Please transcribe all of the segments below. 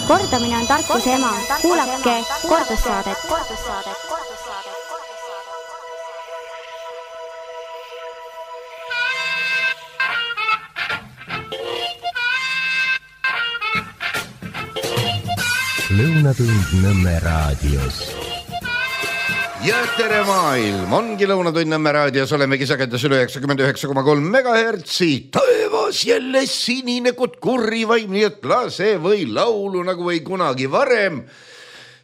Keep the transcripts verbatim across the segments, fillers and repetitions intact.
Kordamine on tarkuse ema. Kuulake kordussaadet. Lõunatund Nõmme raadios. Ja tere maailm, ongi Lõunatund Nõmme raadios, olemegi sagedas üle üheksakümmend üheksa koma kolm megahertsi. Taevas jälle sinine kot kurrivaim, nii et lase või laulu nagu ei kunagi varem.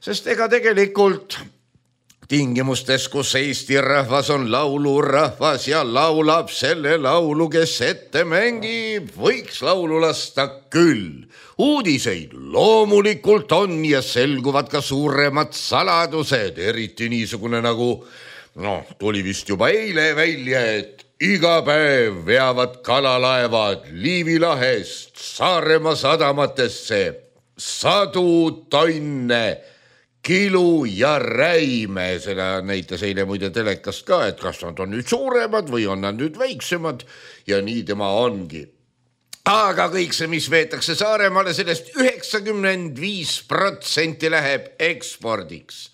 Sest ega tegelikult tingimustes, kus Eesti rahvas on laulurahvas ja laulab selle laulu, kes ette mängib, võiks laulu lasta küll. Uudiseid loomulikult on ja selguvad ka suuremad saladused, eriti niisugune nagu, noh, tuli vist juba eile välja, et iga päev veavad kalalaevad Liivi lahest Saaremaa sadamatesse sadu tonne kilu ja räime. Seda näitas eile muide telekast ka, et kas nad on nüüd suuremad või on nad nüüd väiksemad ja nii tema ongi. Aga kõik see, mis veetakse Saaremaale, sellest üheksakümmend viis protsenti läheb ekspordiks.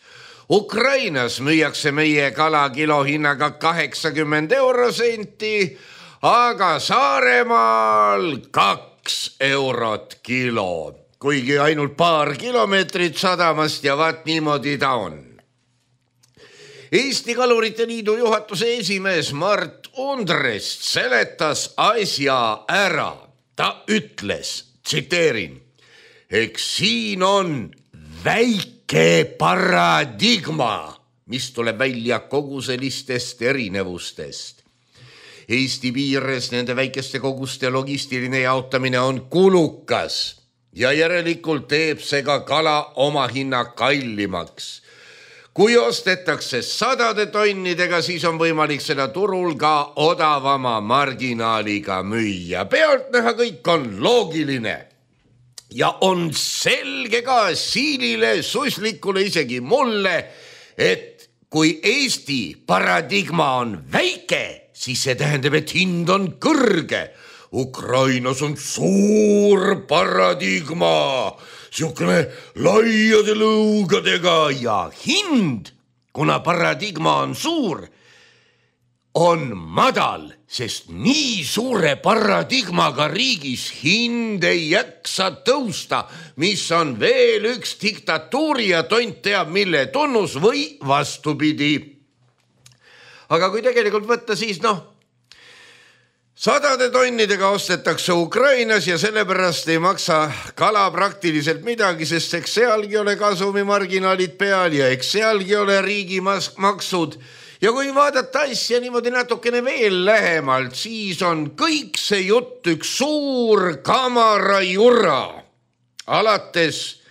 Ukrainas müüakse meie kala kilo hinnaga kaheksakümmend eurosenti, aga Saaremaal kaks eurot kilo. Kuigi ainult paar kilomeetrit sadamast ja vaat niimoodi ta on. Eesti Kalurite Liidu juhatuse esimees Mart Undrest seletas asja ära. Ta ütles, tsiteerin, eks siin on väike paradigma, mis tuleb välja koguselistest erinevustest. Eesti piires nende väikeste koguste logistiline jaotamine on kulukas ja järelikult teeb see ka kala oma hinna kallimaks. Kui ostetakse sadade tonnidega, siis on võimalik seda turul ka odavama marginaaliga müüa. Pealt näha kõik on loogiline ja on selge ka siilile, suslikule, isegi mulle, et kui Eesti paradigma on väike, siis see tähendab, et hind on kõrge. Ukrainas on suur paradigma, siukene laiade lõugadega ja hind, kuna paradigma on suur, on madal, sest nii suure paradigmaga riigis hind ei jaksa tõusta, mis on veel üks diktatuuri ja tont teab mille tunnus või vastupidi. Aga kui tegelikult võtta, siis noh, sadade tonnidega ostetakse Ukrainas ja sellepärast ei maksa kala praktiliselt midagi, sest eks sealgi ole kasumimarginaalid peal ja eks sealgi ole riigimaksud. Ja kui vaadata asja niimoodi natukene veel lähemalt, siis on kõik see jutt üks suur kamarajura. Alates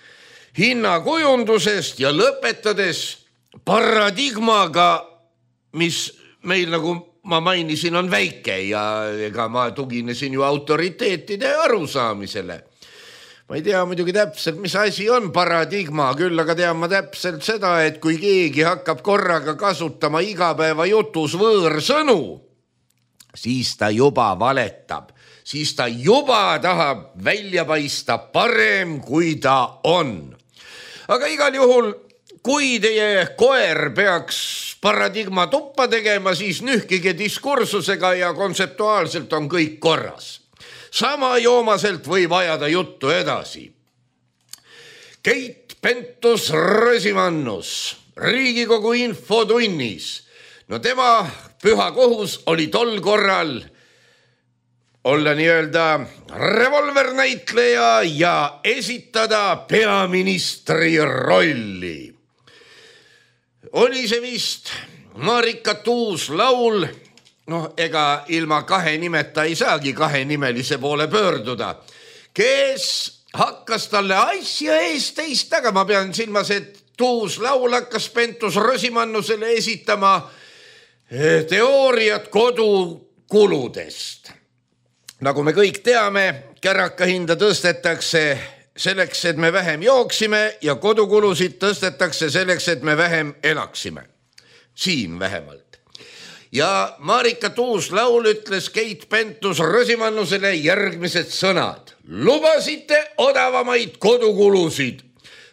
hinnakujundusest ja lõpetades paradigmaga, mis meil nagu ma mainisin, on väike ja ega ma tuginesin ju autoriteetide arusaamisele. Ma ei tea muidugi täpselt, mis asi on paradigma, küll aga tean ma täpselt seda, et kui keegi hakkab korraga kasutama igapäeva jutus võõrsõnu, siis ta juba valetab, siis ta juba tahab välja paista parem, kui ta on. Aga igal juhul, kui teie koer peaks paradigma tuppa tegema, siis nühkige diskursusega ja kontseptuaalselt on kõik korras. Sama joomaselt võib ajada juttu edasi. Keit Pentus-Rosimannus Riigikogu infotunnis. No tema püha kohus oli tol korral olla nii-öelda revolvernäitleja ja esitada peaministri rolli. Oli see vist Marika Tuus laul, noh, ega ilma kahe nimeta ei saagi kahe nimelise poole pöörduda, kes hakkas talle asja eest teist, aga ma pean silmas, et Tuus laul hakkas Pentus-Rosimannusele esitama teooriat kodukuludest. Nagu me kõik teame, käraka hinda tõstetakse selleks, et me vähem jooksime ja kodukulusid tõstetakse selleks, et me vähem elaksime. Siin vähemalt. ja Marika Tuus-Laul ütles Keit Pentus-Rosimannusele järgmised sõnad. Lubasite odavamaid kodukulusid,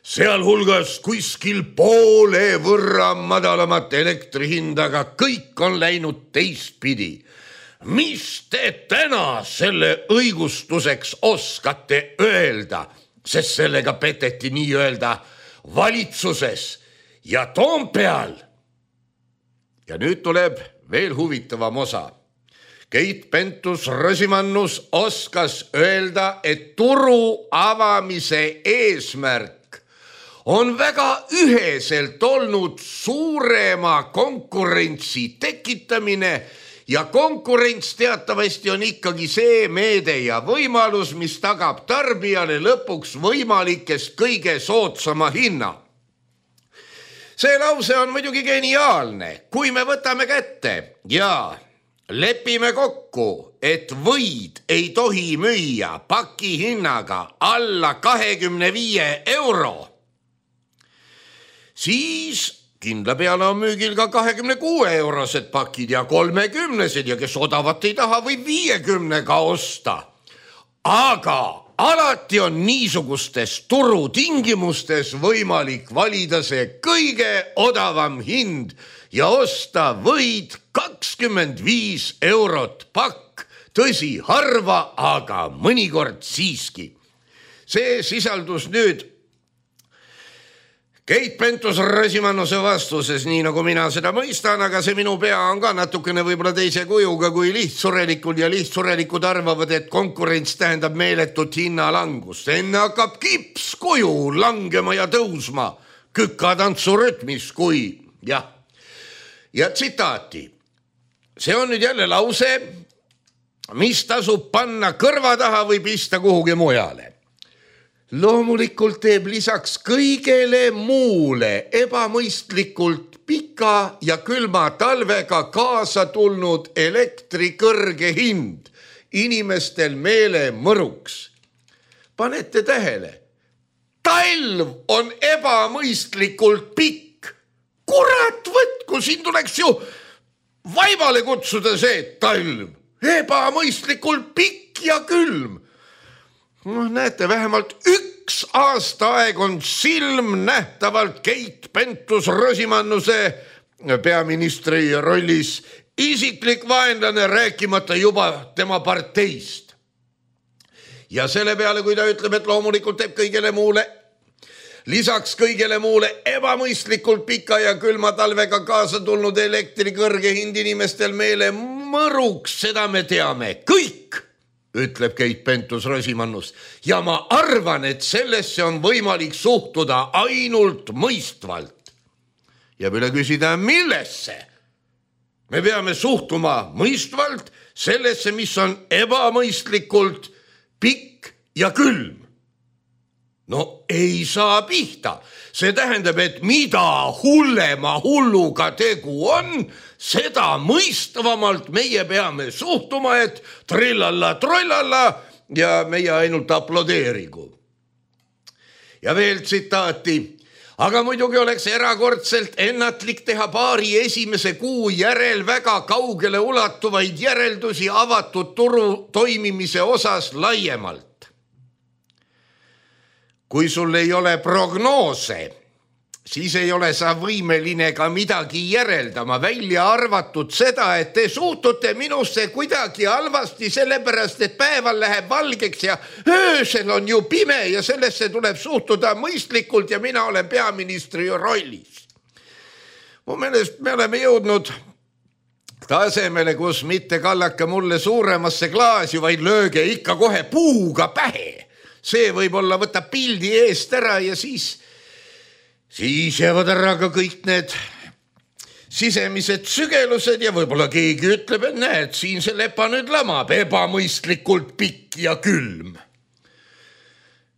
sealhulgas kuskil poole võrra madalamat elektrihindaga, kõik on läinud teistpidi. Mis te täna selle õigustuseks oskate öelda, sest sellega peteti nii öelda valitsuses ja Toompeal? Ja nüüd tuleb veel huvitavam osa. Keit Pentus-Rosimannus oskas öelda, et turu avamise eesmärk on väga üheselt olnud suurema konkurentsi tekitamine ja konkurents teatavasti on ikkagi see meede ja võimalus, mis tagab tarbijale lõpuks võimalikest kõige soodsama hinna. See lause on muidugi geniaalne, kui me võtame kätte ja lepime kokku, et võid ei tohi müüa paki hinnaga alla kahekümne viie euro, siis kindla peale on müügil ka kahekümne kuue eurosed pakid ja kolmekümnesed ja kes odavat ei taha, võib viiekümnega osta. Aga alati on niisugustes turutingimustes võimalik valida see kõige odavam hind ja osta võid kakskümmend viis eurot pakk. Tõsi, harva, aga mõnikord siiski. See sisaldus nüüd Keit Pentus-Rosimannuse vastuses, nii nagu mina seda mõistan, aga see minu pea on ka natukene võib-olla teise kujuga kui lihtsurelikul ja lihtsurelikud arvavad, et konkurents tähendab meeletut hinnalangust. Enne hakkab kipskuju langema ja tõusma kükatantsu rütmis, kui jah. Ja tsitaati. See on nüüd jälle lause, mis tasub panna kõrva taha või pista kuhugi mujale. Loomulikult teeb lisaks kõigele muule ebamõistlikult pika ja külma talvega kaasa tulnud elektri kõrge hind inimestel meele mõruks. Panete tähele, talv on ebamõistlikult pikk. Kurat võtku, siin tuleks ju vaimale kutsuda see talv. Ebamõistlikult pikk ja külm. No, näete, vähemalt üks aastaaeg on silmnähtavalt Keit Pentus-Rosimannuse peaministri rollis isiklik vaenlane, rääkimata juba tema parteist. Ja selle peale, kui ta ütleb, et loomulikult teeb kõigele muule, lisaks kõigele muule ebamõistlikult pika ja külma talvega kaasa tulnud elektri kõrge hind inimestel meele mõruks, seda me teame kõik, ütleb Keit Pentus-Rosimannus. Ja ma arvan, et sellesse on võimalik suhtuda ainult mõistvalt. Ja üle küsida, millesse? Me peame suhtuma mõistvalt sellesse, mis on ebamõistlikult pikk ja külm. No ei saa pihta. See tähendab, et mida hullema hulluga tegu on, seda mõistvamalt meie peame suhtuma, et trillalla, trollalla ja meie ainult aplodeerigu. Ja veel tsitaati. Aga muidugi oleks erakordselt ennatlik teha paari esimese kuu järel väga kaugele ulatuvaid järeldusi avatud turu toimimise osas laiemalt. Kui sul ei ole prognoose, siis ei ole sa võimeline ka midagi järeldama, välja arvatud seda, et te suhtute minusse kuidagi halvasti, sellepärast, et päeval läheb valgeks ja öösel on ju pime ja sellesse tuleb suhtuda mõistlikult ja mina olen peaministri rollis. Mu meelest me oleme jõudnud tasemele, kus mitte kallake mulle suuremasse klaasi, vaid lööge ikka kohe puuga pähe. See võib-olla võtab pildi eest ära ja siis, siis jäävad ära ka kõik need sisemised sügelused ja võib-olla keegi ütleb, et näed, siin see lepa nüüd lamab, ebamõistlikult pikk ja külm.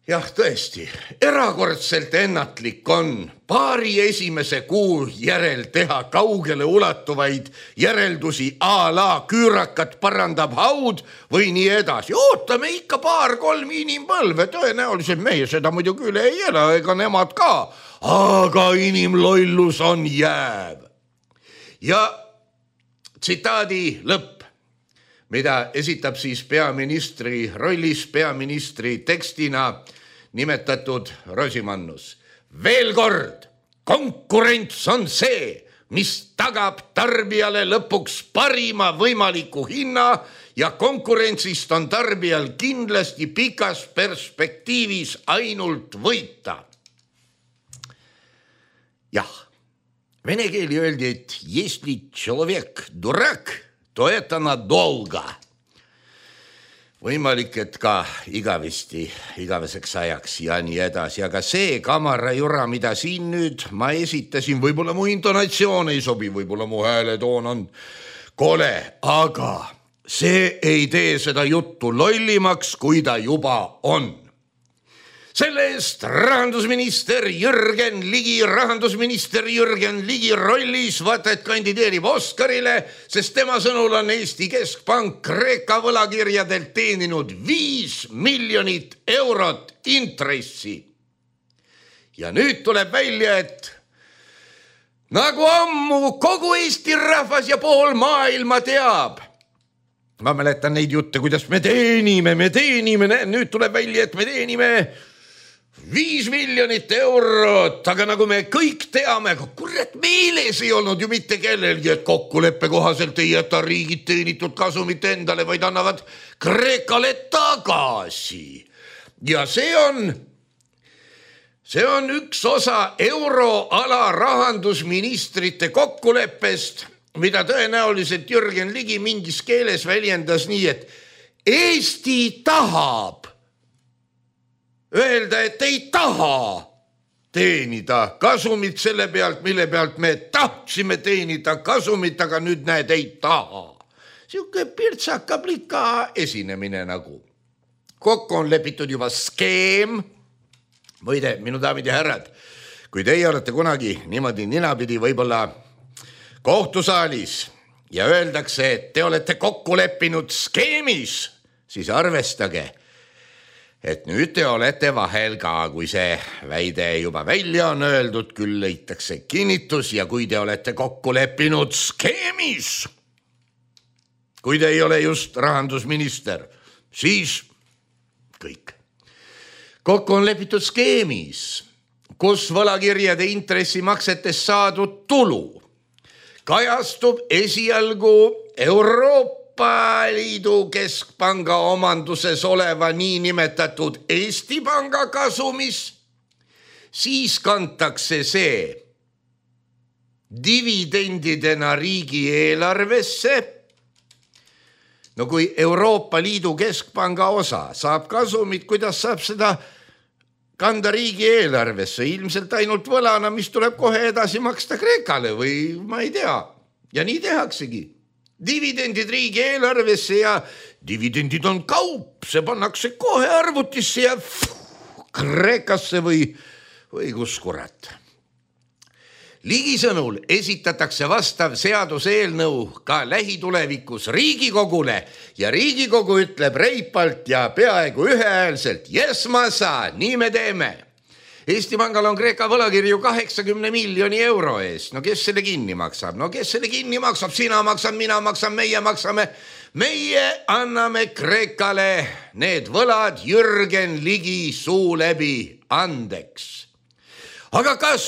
Jah, tõesti, erakordselt ennatlik on paari esimese kuu järel teha kaugele ulatuvaid järeldusi a la küürakat parandab haud või nii edasi. Ootame ikka paar-kolm inimpõlve, tõenäoliselt meie seda muidugi üle ei ela, ega nemad ka, aga inimlollus on jääv. Ja tsitaadi lõpp, mida esitab siis peaministri rollis peaministri tekstina nimetatud Rosimannus. Veel kord, konkurents on see, mis tagab tarbijale lõpuks parima võimaliku hinna ja konkurentsist on tarbijal kindlasti pikas perspektiivis ainult võita. Jah, vene keeli öeldi, et если человек дурак, то это надолго. Võimalik, et ka igavesti, igaveseks ajaks ja nii edasi. Aga see kamarajura, mida siin nüüd ma esitasin, võib-olla mu intonatsioon ei sobi, võib-olla mu hääletoon on kole, aga see ei tee seda juttu lollimaks, kui ta juba on. Selle eest rahandusminister Jürgen Ligi, rahandusminister Jürgen Ligi rollis vaata, et kandideerib Oscarile, sest tema sõnul on Eesti Keskpank Kreeka võlakirjadelt teeninud viis miljonit eurot intressi. Ja nüüd tuleb välja, et nagu ammu kogu Eesti rahvas ja pool maailma teab. Ma mäletan neid jutte, kuidas me teenime, me teenime, nüüd tuleb välja, et me teenime viis miljonit eurot, aga nagu me kõik teame, kurat meeles ei olnud ju mitte kellelgi, et kokkuleppe kohaselt ei jäta riigid teenitud kasumit endale, vaid annavad Kreekale tagasi. Ja see on, see on üks osa euroala rahandusministrite kokkuleppest, mida tõenäoliselt Jürgen Ligi mingis keeles väljendas nii, et Eesti tahab öelda, et ei taha teenida kasumit selle pealt, mille pealt me tahtsime teenida kasumit, aga nüüd näed, ei taha. Siuke pirtsaka-plika esinemine nagu. Kokku on lepitud juba skeem. Võide, minu daamid ja härrad, kui teie olete kunagi niimoodi ninapidi võib-olla kohtusaalis ja öeldakse, et te olete kokku leppinud skeemis, siis arvestage, et nüüd te olete vahel ka, kui see väide juba välja on öeldud, küll leitakse kinnitus ja kui te olete kokku leppinud skeemis, kui te ei ole just rahandusminister, siis kõik. Kokku on lepitud skeemis, kus võlakirjade intressimaksetest saadud tulu kajastub esialgu Euroopa Liidu Keskpanga omanduses oleva niinimetatud Eesti Panga kasumis, siis kantakse see dividendidena riigieelarvesse. No kui Euroopa Liidu Keskpanga osa saab kasumit, kuidas saab seda kanda riigieelarvesse? Ilmselt ainult võlana, mis tuleb kohe edasi maksta Kreekale või ma ei tea. Ja nii tehaksegi. Dividendid riigieelarvesse ja dividendid on kaup, see pannakse kohe arvutisse ja pff, Kreekasse või, või kus kurat. Ligi sõnul esitatakse vastav seaduseelnõu ka lähitulevikus Riigikogule ja Riigikogu ütleb reipalt ja peaaegu ühehäälselt, jes ma saa, nii me teeme. Eesti Pangal on Kreeka võlakirju kaheksakümne miljoni euro eest. No kes selle kinni maksab? No kes selle kinni maksab? Sina maksab, mina maksab, meie maksame. Meie anname Kreekale need võlad Jürgen Ligi suu läbi andeks. Aga kas,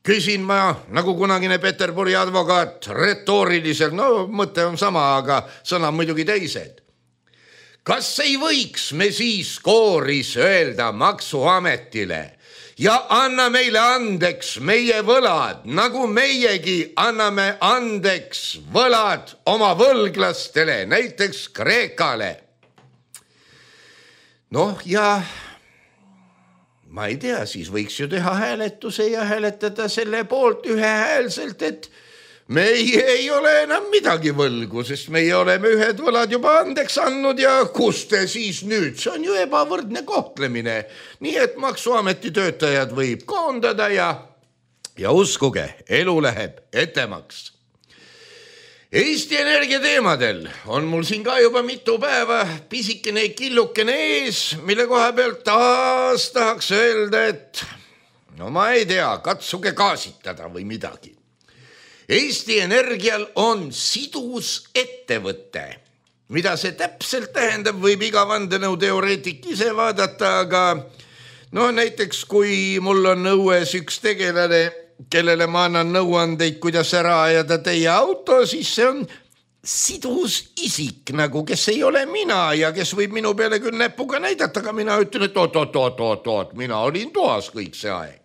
küsin ma nagu kunagine Peterburi advokaat retooriliselt, no mõte on sama, aga sõna muidugi teised. Kas ei võiks me siis kooris öelda Maksuametile ja anna meile andeks meie võlad, nagu meiegi anname andeks võlad oma võlglastele, näiteks Kreekale. Noh ja ma ei tea, siis võiks ju teha hääletuse ja hääletada selle poolt ühehäälselt, et meie ei ole enam midagi võlgu, sest meie oleme ühed võlad juba andeks andnud ja kus te siis nüüd? See on ju ebavõrdne kohtlemine. Nii et Maksuameti töötajad võib koondada ja, ja uskuge, elu läheb etemaks. Eesti Energia teemadel on mul siin ka juba mitu päeva pisikene killukene ees, mille koha pealt taas tahaks öelda, et no ma ei tea, katsuge gaasitada või midagi. Eesti Energial on sidus ettevõte. Mida see täpselt tähendab, võib iga vandenõuteoreetik ise vaadata, aga no näiteks kui mul on õues üks tegelane, kellele ma annan nõuandeid, kuidas ära ajada teie auto, siis see on sidus isik nagu, kes ei ole mina ja kes võib minu peale küll näpuga näidata, aga mina ütlen, et oot, oot, oot, oot, oot, mina olin toas kõik see aeg.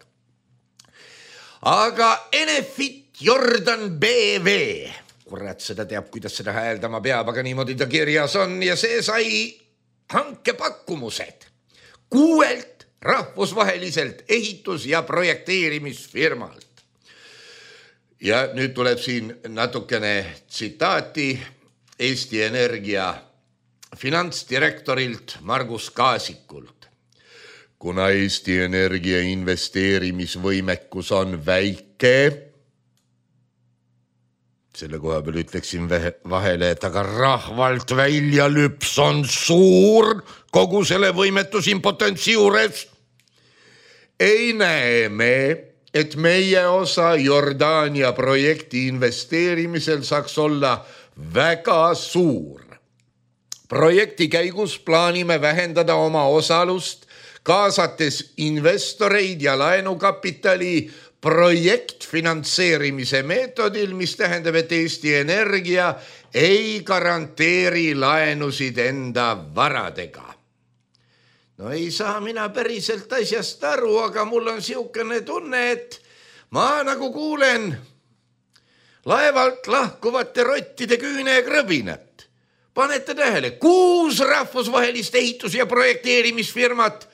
Aga Enefit Jordan B V, kurat, seda teab, kuidas seda hääldama peab, aga niimoodi ta kirjas on ja see sai hankepakkumused kuuelt rahvusvaheliselt ehitus- ja projekteerimisfirmalt. Ja nüüd tuleb siin natukene tsitaati Eesti Energia finantsdirektorilt Margus Kaasikult. Kuna Eesti Energia investeerimisvõimekus on väike, selle koha peal ütleksin vahele, et aga rahvalt välja lüps on suur kogu selle võimetusimpotentsi juures, ei näe me, et meie osa Jordaania projekti investeerimisel saaks olla väga suur. Projekti käigus plaanime vähendada oma osalust, kaasates investoreid ja laenukapitali projektfinantseerimise meetodil, mis tähendab, et Eesti Energia ei garanteeri laenusid enda varadega. No ei saa mina päriselt asjast aru, aga mul on siukene tunne, et ma nagu kuulen laevalt lahkuvate rottide küüne krõbinat. Panete tähele, kuus rahvusvahelist ehitus- ja projekteerimisfirmat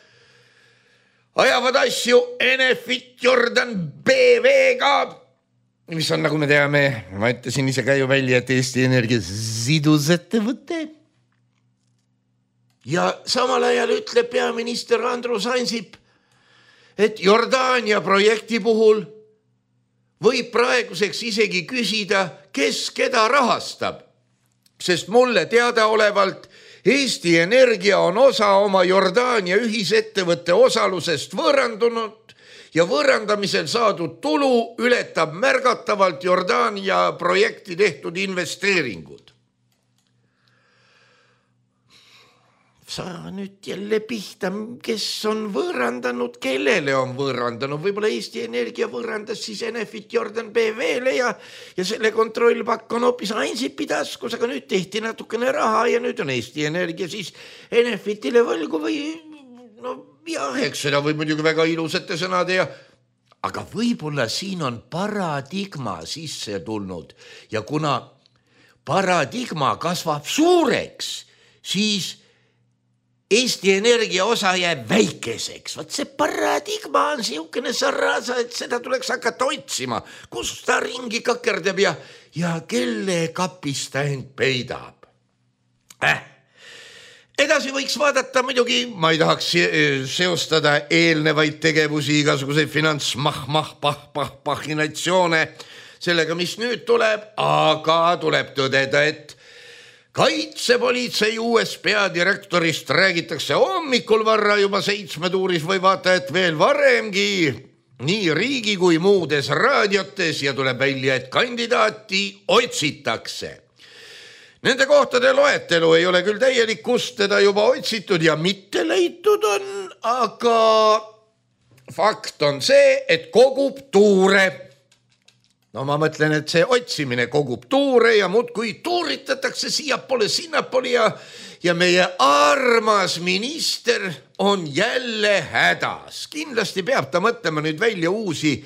ajavad asju Enefit Jordan B V-ga, mis on, nagu me teame, ma ütlesin ise ka ju välja, et Eesti Energia sidus ettevõte. Ja samal ajal ütleb peaminister Andrus Ansip, et Jordaania projekti puhul võib praeguseks isegi küsida, kes keda rahastab, sest mulle teadaolevalt Eesti Energia on osa oma Jordaania ühisettevõtte osalusest võõrandunud ja võõrandamisel saadud tulu ületab märgatavalt Jordaania projekti tehtud investeeringud. Saa nüüd jälle pihta, kes on võõrandanud, kellele on võõrandanud. Võib-olla Eesti Energia võõrandas siis Enefit Jordan B V-le ja, ja selle kontrollpakk on hoopis Ansipi taskus, aga nüüd tehti natukene raha ja nüüd on Eesti Energia siis Enefitile võlgu või no jah, eks seda võib muidugi väga ilusate sõnade ja aga võib-olla siin on paradigma sisse tulnud ja kuna paradigma kasvab suureks, siis Eesti Energia osa jääb väikeseks. Vaat see paradigma on siukene sarrasa, et seda tuleks hakata otsima, kus ta ringi kakerdab ja, ja kelle kapis ta end peidab. Äh. Edasi võiks vaadata muidugi, ma ei tahaks seostada eelnevaid tegevusi, igasuguseid finantsmah-mah-pah-pah-pahinatsioone sellega, mis nüüd tuleb, aga tuleb tõdeda, et kaitsepolitsei uuest peadirektorist räägitakse hommikul varra juba seitsmetuuris või vaata, et veel varemgi nii riigi kui muudes raadiotes ja tuleb välja, et kandidaati otsitakse. Nende kohtade loetelu ei ole küll täielik, kust teda juba otsitud ja mitte leitud on, aga fakt on see, et kogub tuure. No ma mõtlen, et see otsimine kogub tuure ja muud kui tuuritatakse siiapoole sinnapoole ja, ja meie armas minister on jälle hädas. Kindlasti peab ta mõtlema nüüd välja uusi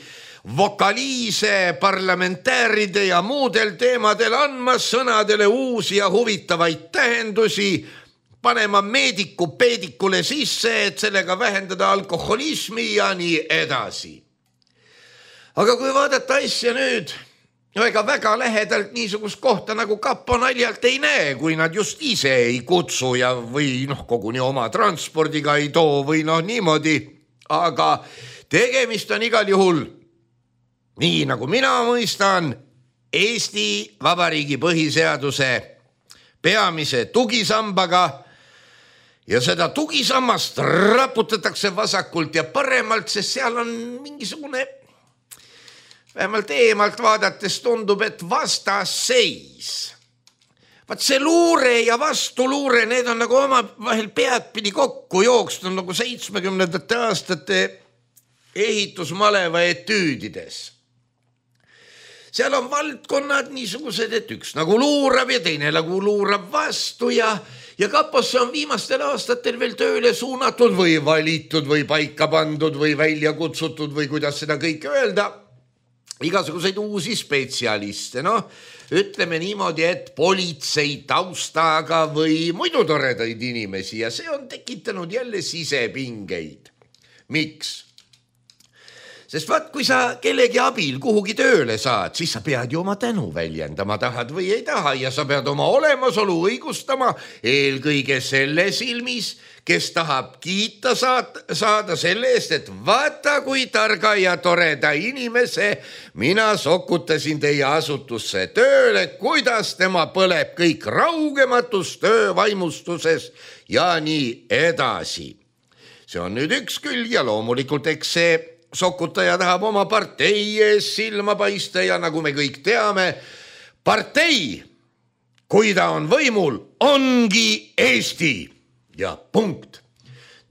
vokaliise parlamentääride ja muudel teemadel andma sõnadele uusi ja huvitavaid tähendusi, panema meediku peedikule sisse, et sellega vähendada alkoholismi ja nii edasi. Aga kui vaadata asja nüüd, no ega väga lähedalt niisugust kohta nagu Kapo naljalt ei näe, kui nad just ise ei kutsu ja või noh, koguni oma transpordiga ei too või noh niimoodi. Aga tegemist on igal juhul, nii nagu mina mõistan, Eesti Vabariigi põhiseaduse peamise tugisambaga ja seda tugisammast raputatakse vasakult ja paremalt, sest seal on mingisugune vähemalt eemalt vaadates tundub, et vastasseis. Vaat see luure ja vastuluure, need on nagu oma vahel pead pidi kokku jooksnud nagu seitsmekümnendate aastate ehitusmaleva etüüdides. Seal on valdkonnad niisugused, et üks nagu luurab ja teine nagu luurab vastu ja, ja kaposse on viimastel aastatel veel tööle suunatud või valitud või paika pandud või välja kutsutud või kuidas seda kõike öelda. Igasuguseid uusi spetsialiste, noh, ütleme niimoodi, et politsei taustaga või muidu toredaid inimesi ja see on tekitanud jälle sisepingeid. Miks? Sest vaat, kui sa kellegi abil kuhugi tööle saad, siis sa pead ju oma tänu väljendama, tahad või ei taha ja sa pead oma olemasolu õigustama eelkõige selle silmis, kes tahab kiita saada selle eest, et vaata kui targa ja toreda inimese mina sokutasin teie asutusse tööle, kuidas tema põleb kõik raugematus töövaimustuses ja nii edasi. See on nüüd üks külg ja loomulikult eks see sokutaja tahab oma partei ees silma paista ja nagu me kõik teame, partei, kui ta on võimul, ongi Eesti ja punkt.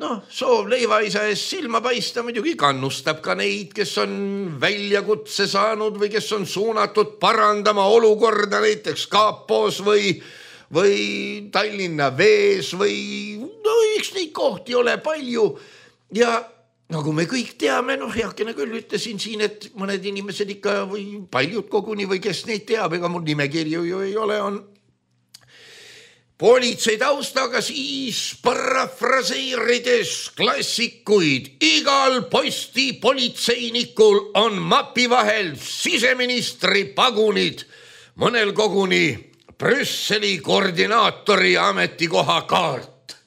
Noh, soov leivaisa ees silma paista muidugi kannustab ka neid, kes on väljakutse saanud või kes on suunatud parandama olukorda näiteks Kaapos või, või Tallinna vees või no, eks neid kohti ole palju ja nagu me kõik teame, noh heakene küll ütlesin siin, et mõned inimesed ikka või paljud koguni või kes neid teab, ega mul nimekirju ju ei ole, on politsei taustaga siis parafraseerides klassikuid. Igal posti politseinikul on mapi vahel siseministri pagunid, mõnel koguni Brüsseli koordinaatori ametikoha kaart.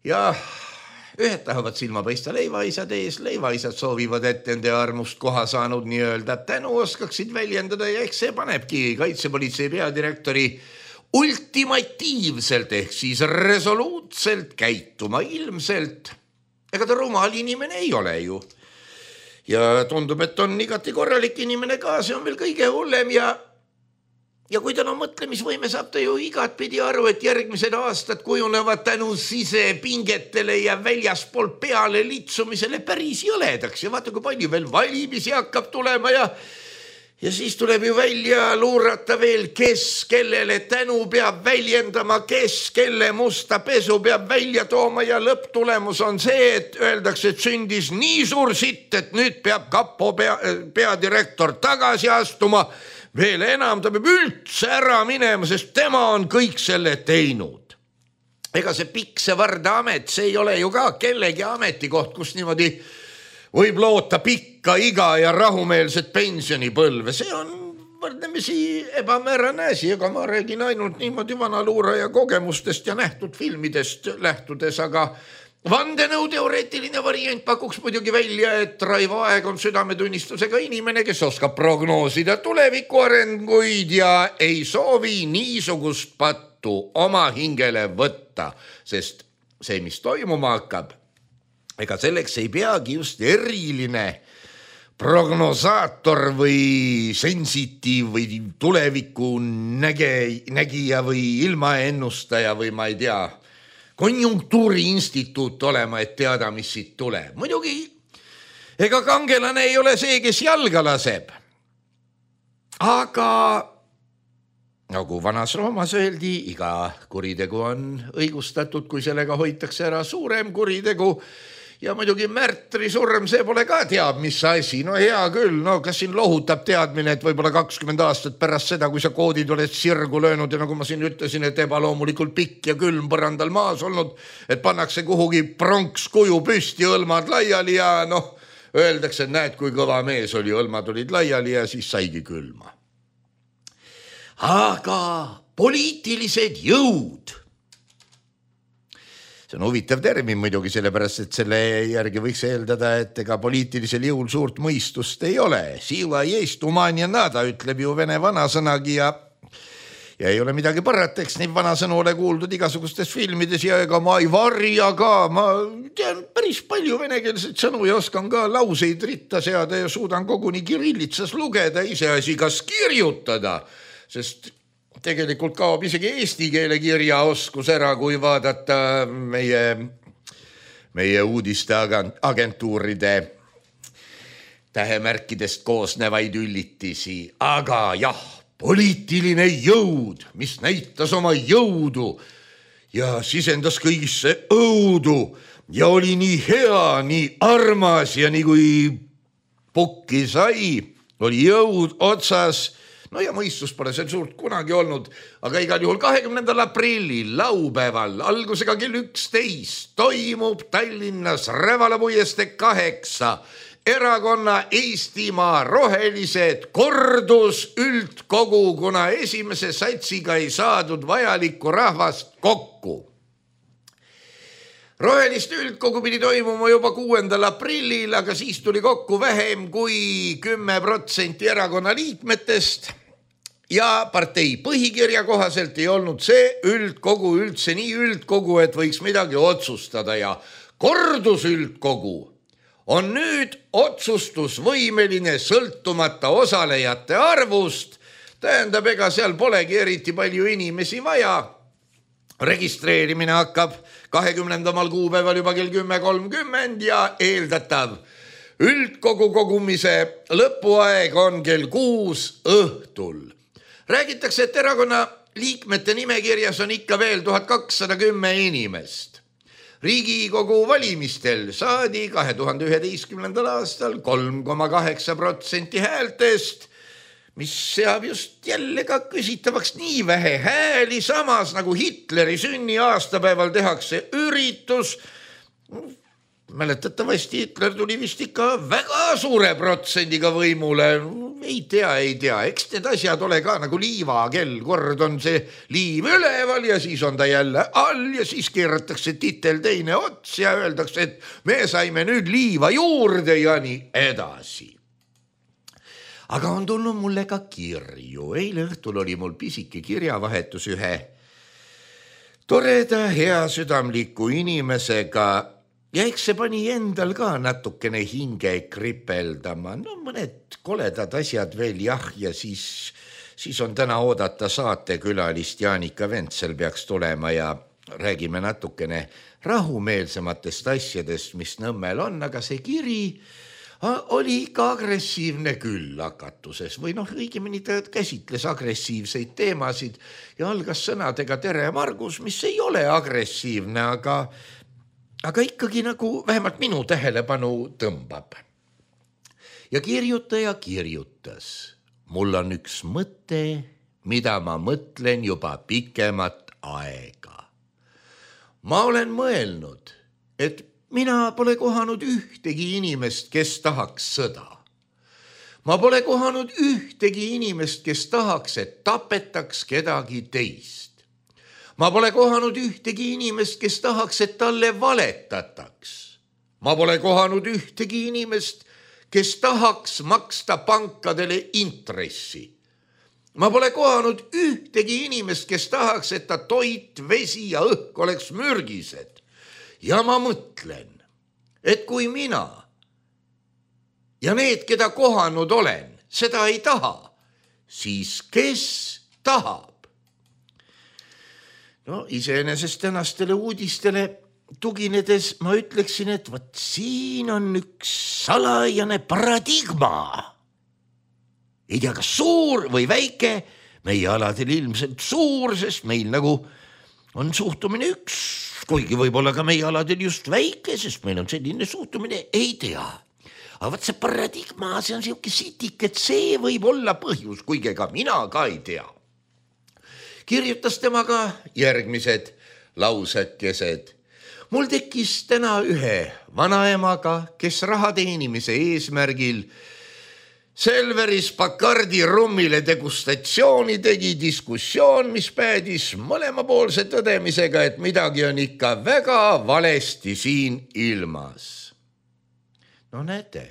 Ja ühed tahavad silma paista leivaisad ees, leivaisad soovivad, et nende armust koha saanud nii-öelda tänu oskaksid väljendada ja eks see panebki kaitsepolitsei peadirektori ultimatiivselt ehk siis resoluutselt käituma ilmselt. Ega ta rumal inimene ei ole ju. Ja tundub, et on igati korralik inimene ka, see on veel kõige hullem ja Ja kui tal on mõtlemisvõime, saab ta ju igat pidi aru, et järgmised aastad kujunevad tänu sisepingetele ja väljaspool peale litsumisele päris jõledaks. Ja vaata, kui palju veel valimisi hakkab tulema ja, ja siis tuleb ju välja luurata veel, kes kellele tänu peab väljendama, kes kelle musta pesu peab välja tooma ja lõpptulemus on see, et öeldakse, et sündis nii suur sitt, et nüüd peab kapo pea, peadirektor tagasi astuma. Veel enam, ta peab üldse ära minema, sest tema on kõik selle teinud. Ega see pikk see varda amet, see ei ole ju ka kellegi ametikoht, kus niimoodi võib loota pikka iga ja rahumeelset pensionipõlve. See on võrdlemisi ebamäärane asi, ega ma räägin ainult niimoodi vana luuraja kogemustest ja nähtud filmidest lähtudes, aga vandenõuteoreetiline variant pakuks muidugi välja, et Raivo Aeg on südametunnistusega inimene, kes oskab prognoosida tuleviku arenguid ja ei soovi niisugust pattu oma hingele võtta, sest see, mis toimuma hakkab, ega selleks ei peagi just eriline prognosaator või sensitiiv või tuleviku näge, nägija või ilmaennustaja või ma ei tea, konjunktuuriinstituut olema, et teada, mis siit tuleb. Muidugi, ega kangelane ei ole see, kes jalga laseb. Aga nagu vanas Roomas öeldi, iga kuritegu on õigustatud, kui sellega hoitakse ära suurem kuritegu. Ja muidugi märtri surm, see pole ka teab, mis asi. No hea küll, no kas siin lohutab teadmine, et võibolla kakskümmend aastat pärast seda, kui sa koodid oled sirgu löönud ja nagu ma siin ütlesin, et ebaloomulikult pikk ja külm põrandal maas olnud, et pannakse kuhugi pronkskuju püsti, õlmad laiali ja noh, öeldakse, et näed, kui kõva mees oli, õlmad olid laiali ja siis saigi külma. Aga poliitilised jõud. See on huvitav termin muidugi, sellepärast, et selle järgi võiks eeldada, et ega poliitilisel jõul suurt mõistust ei ole. Sila jest umanja nada, ütleb ju vene vanasõnagi ja, ja ei ole midagi parata, eks neid vanasõnu ole kuuldud igasugustes filmides ja ega ma ei varja ka, ma tean päris palju venekeelseid sõnu ja oskan ka lauseid ritta seada ja suudan koguni kirillitsas lugeda, iseasi kas kirjutada, sest tegelikult kaob isegi eesti keele kirjaoskus ära, kui vaadata meie, meie uudiste agentuuride tähemärkidest koosnevaid üllitisi, aga jah, poliitiline jõud, mis näitas oma jõudu ja sisendas kõigisse õudu ja oli nii hea, nii armas ja nii kui pukki sai, oli jõud otsas. No ja mõistus pole seal suurt kunagi olnud, aga igal juhul kahekümnendal aprillil laupäeval algusega kell üksteist toimub Tallinnas Rävala puiestee kaheksa erakonna Eestimaa Rohelised kordus üldkogu, kuna esimese satsiga ei saadud vajalikku rahvast kokku. Rohelist üldkogu pidi toimuma juba kuuendal aprillil, aga siis tuli kokku vähem kui kümme protsenti erakonna liikmetest ja partei põhikirja kohaselt ei olnud see üldkogu üldse nii üldkogu, et võiks midagi otsustada ja kordus üldkogu on nüüd otsustusvõimeline sõltumata osalejate arvust, tähendab, ega seal polegi eriti palju inimesi vaja. Registreerimine hakkab kahekümnendamal kuupäeval juba kell kümme kolmkümmend ja eeldatav üldkogu kogumise lõpuaeg on kell kuus õhtul. Räägitakse, et erakonna liikmete nimekirjas on ikka veel tuhat kakssada kümme inimest. Riigikogu valimistel saadi kahe tuhande üheteistkümnendal aastal kolm koma kaheksa protsenti häältest, mis seab just jälle ka küsitavaks nii vähe hääli, samas nagu Hitleri sünni aastapäeval tehakse üritus. Mäletatavasti Hitler tuli vist ikka väga suure protsendiga võimule. Ei tea, ei tea, eks need asjad ole ka nagu liivakell, kord on see liiv üleval ja siis on ta jälle all ja siis keeratakse titel teine ots ja öeldakse, et me saime nüüd liiva juurde ja nii edasi. Aga on tulnud mulle ka kirju. Eile õhtul oli mul pisike kirjavahetus ühe toreda, hea südamliku inimesega ja eks see pani endal ka natukene hinge kripeldama. No mõned koledad asjad veel jah ja siis, siis on täna oodata saatekülalist Jaanika Ventsel peaks tulema ja räägime natukene rahumeelsematest asjadest, mis Nõmmel on, aga see kiri oli ikka agressiivne küll hakatuses või noh, õigemini ta käsitles agressiivseid teemasid ja algas sõnadega tere Margus, mis ei ole agressiivne, aga, aga ikkagi nagu vähemalt minu tähelepanu tõmbab. Ja kirjutaja kirjutas, mul on üks mõte, mida ma mõtlen juba pikemat aega. Ma olen mõelnud, et mina pole kohanud ühtegi inimest, kes tahaks sõda. Ma pole kohanud ühtegi inimest, kes tahaks, et tapetaks kedagi teist. Ma pole kohanud ühtegi inimest, kes tahaks, et talle valetataks. Ma pole kohanud ühtegi inimest, kes tahaks maksta pankadele intressi. Ma pole kohanud ühtegi inimest, kes tahaks, et ta toit, vesi ja õhk oleks mürgised. Ja ma mõtlen, et kui mina ja need, keda kohanud olen, seda ei taha, siis kes tahab? No iseenesest tänastele uudistele tuginedes ma ütleksin, et võt siin on üks salajane paradigma. Ei tea, kas suur või väike, meie aladel ilmselt suur, sest meil nagu on suhtumine üks, kuigi võib-olla ka meie aladel just väike, sest meil on selline suhtumine, ei tea. Aga võt see paradigma, see on siuke sitik, et see võib olla põhjus, kuigi ka mina ka ei tea. Kirjutas temaga järgmised lausekesed. Mul tekkis täna ühe vanaemaga, kes raha teenimise eesmärgil Selveris Bacardi rummile degustatsiooni tegi diskussioon, mis päädis mõlemapoolse tõdemisega, et midagi on ikka väga valesti siin ilmas. No näete,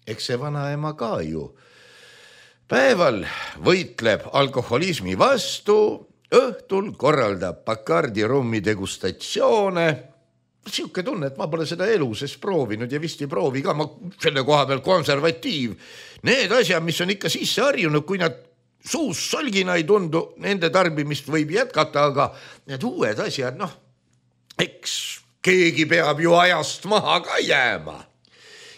eks see vanaema ka ju päeval võitleb alkoholismi vastu õhtul korraldab Bacardi rummi degustatsioone. Siuke tunne, et ma pole seda eluses proovinud ja vist ei proovi ka, ma selle koha peal konservatiiv. Need asjad, mis on ikka sisse harjunud, kui nad suus solgina ei tundu, nende tarbimist võib jätkata, aga need uued asjad, noh, eks keegi peab ju ajast maha ka jääma.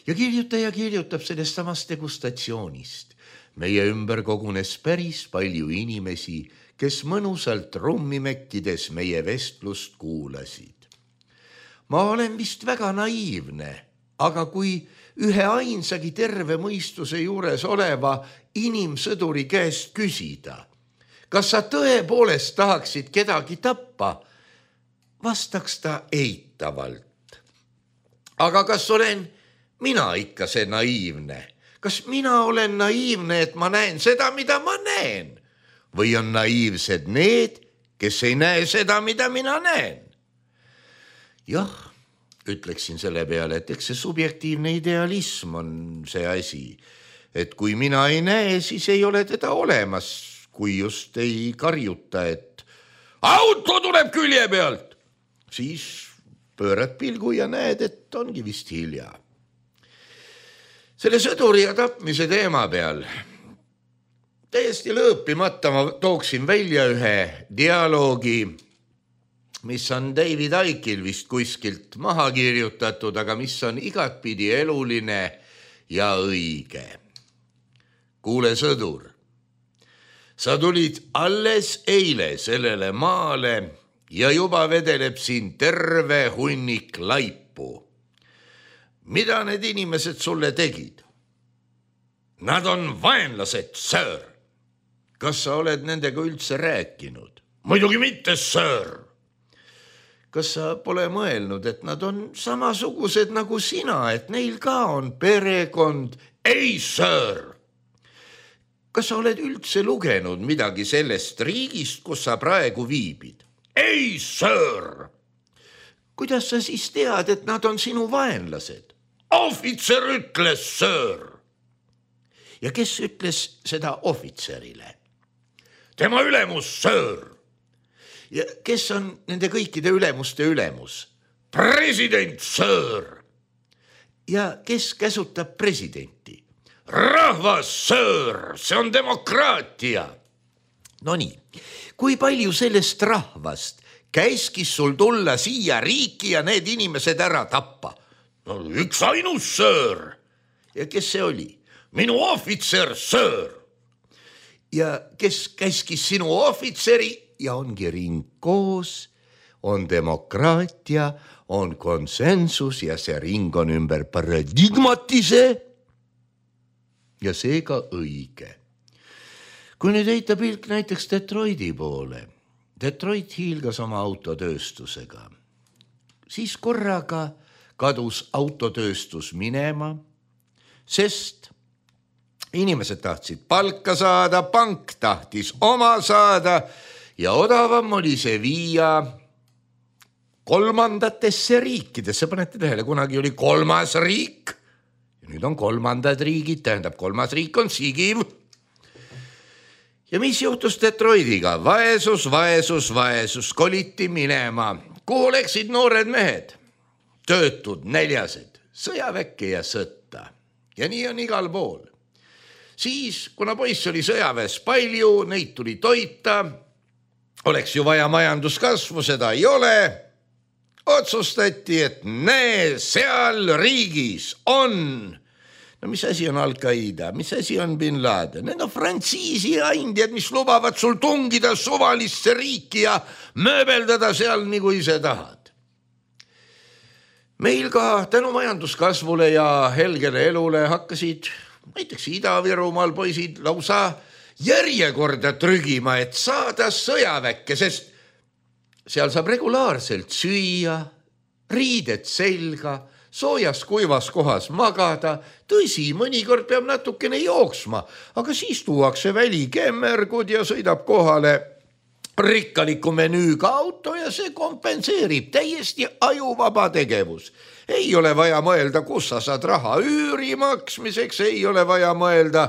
Ja kirjutaja kirjutab sellest samast degustatsioonist. Meie ümber kogunes päris palju inimesi, kes mõnusalt rummi mekkides meie vestlust kuulasid. Ma olen vist väga naiivne, aga kui ühe ainsagi terve mõistuse juures oleva inimsõduri käest küsida, kas sa tõepoolest tahaksid kedagi tappa, vastaks ta eitavalt. Aga kas olen mina ikka see naiivne? Kas mina olen naiivne, et ma näen seda, mida ma näen? Või on naiivsed need, kes ei näe seda, mida mina näen? Jah, ütleksin selle peale, et eks see subjektiivne idealism on see asi, et kui mina ei näe, siis ei ole teda olemas, kui just ei karjuta, et auto tuleb külje pealt. Siis pöörad pilgu ja näed, et ongi vist hilja. Selle sõduri ja tapmise teema peal täiesti lõõpimata ma tooksin välja ühe dialoogi, mis on David Icke'il vist kuskilt maha kirjutatud, aga mis on igatpidi eluline ja õige. Kuule sõdur, sa tulid alles eile sellele maale ja juba vedeleb siin terve hunnik laipu. Mida need inimesed sulle tegid? Nad on vaenlased, sir. Kas sa oled nendega üldse rääkinud? Muidugi mitte, sir. Kas sa pole mõelnud, et nad on samasugused nagu sina, et neil ka on perekond? Ei, sir. Kas sa oled üldse lugenud midagi sellest riigist, kus sa praegu viibid? Ei, sir. Kuidas sa siis tead, et nad on sinu vaenlased? Ohvitser ütles, sir. Ja kes ütles seda ohvitserile? Tema ülemus, sir. Ja kes on nende kõikide ülemuste ülemus? President, sir. Ja kes käsutab presidenti? Rahvas, sir, see on demokraatia. No nii, kui palju sellest rahvast käiskis sul tulla siia riiki ja need inimesed ära tappa? No üks ainus, sir. Ja kes see oli? Minu ohvitser, sir. Ja kes käskis sinu ohvitseri ja ongi ring koos, on demokraatia, on konsensus ja see ring on ümber paradigmatise ja seega õige. Kui nüüd heita pilk näiteks Detroiti poole, Detroit hiilgas oma autotööstusega, siis korraga kadus autotööstus minema, sest inimesed tahtsid palka saada, pank tahtis oma saada ja odavam oli see viia kolmandatesse riikidesse. Panete tähele, kunagi oli kolmas riik ja nüüd on kolmandad riigid, tähendab kolmas riik on sigiv. Ja mis juhtus Detroitiga? Vaesus, vaesus, vaesus, koliti minema. Kuhu läksid noored mehed? Töötud, näljased, sõjaväkke ja sõtta. Ja nii on igal pool. Siis, kuna poiss oli sõjaväes palju, neid tuli toita, oleks ju vaja majanduskasvu, seda ei ole. Otsustati, et näe, seal riigis on, no mis asi on Al-Qaida, mis asi on Bin Laden, need on frantsiisi andjad, mis lubavad sul tungida suvalisse riiki ja mööbeldada seal nii kui ise tahad. Meil ka tänu majanduskasvule ja helgele elule hakkasid näiteks Ida-Virumaal poisid lausa järjekorda trügima, et saada sõjaväkke, sest seal saab regulaarselt süüa, riided selga, soojas kuivas kohas magada. Tõsi, mõnikord peab natukene jooksma, aga siis tuuakse välikemmergud ja sõidab kohale rikkaliku menüüga auto ja see kompenseerib täiesti ajuvaba tegevus. Ei ole vaja mõelda, kus sa saad raha üüri maksmiseks, ei ole vaja mõelda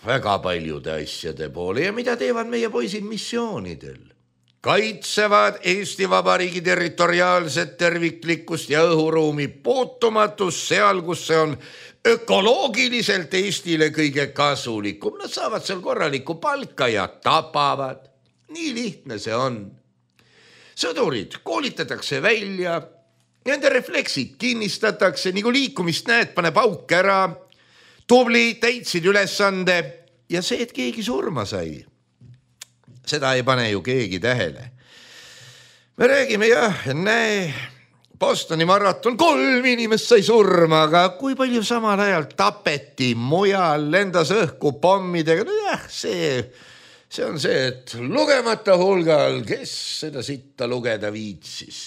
väga paljude asjade poole ja mida teevad meie poisid missioonidel? Kaitsevad Eesti Vabariigi territoriaalset terviklikkust ja õhuruumi puutumatust seal, kus see on ökoloogiliselt Eestile kõige kasulikum. Nad saavad seal korralikku palka ja tapavad. Nii lihtne see on. Sõdurid koolitatakse välja, nende refleksid kinnistatakse, nagu liikumist näed, pane pauk ära, tubli, täitsid ülesande ja see, et keegi surma sai. Seda ei pane ju keegi tähele. Me räägime jah, näe, Bostoni maraton, kolm inimest sai surma, aga kui palju samal ajal tapeti mujal, lendas õhku pommidega, no jah, see, see on see, et lugemata hulgal, kes seda sitta lugeda viitsis.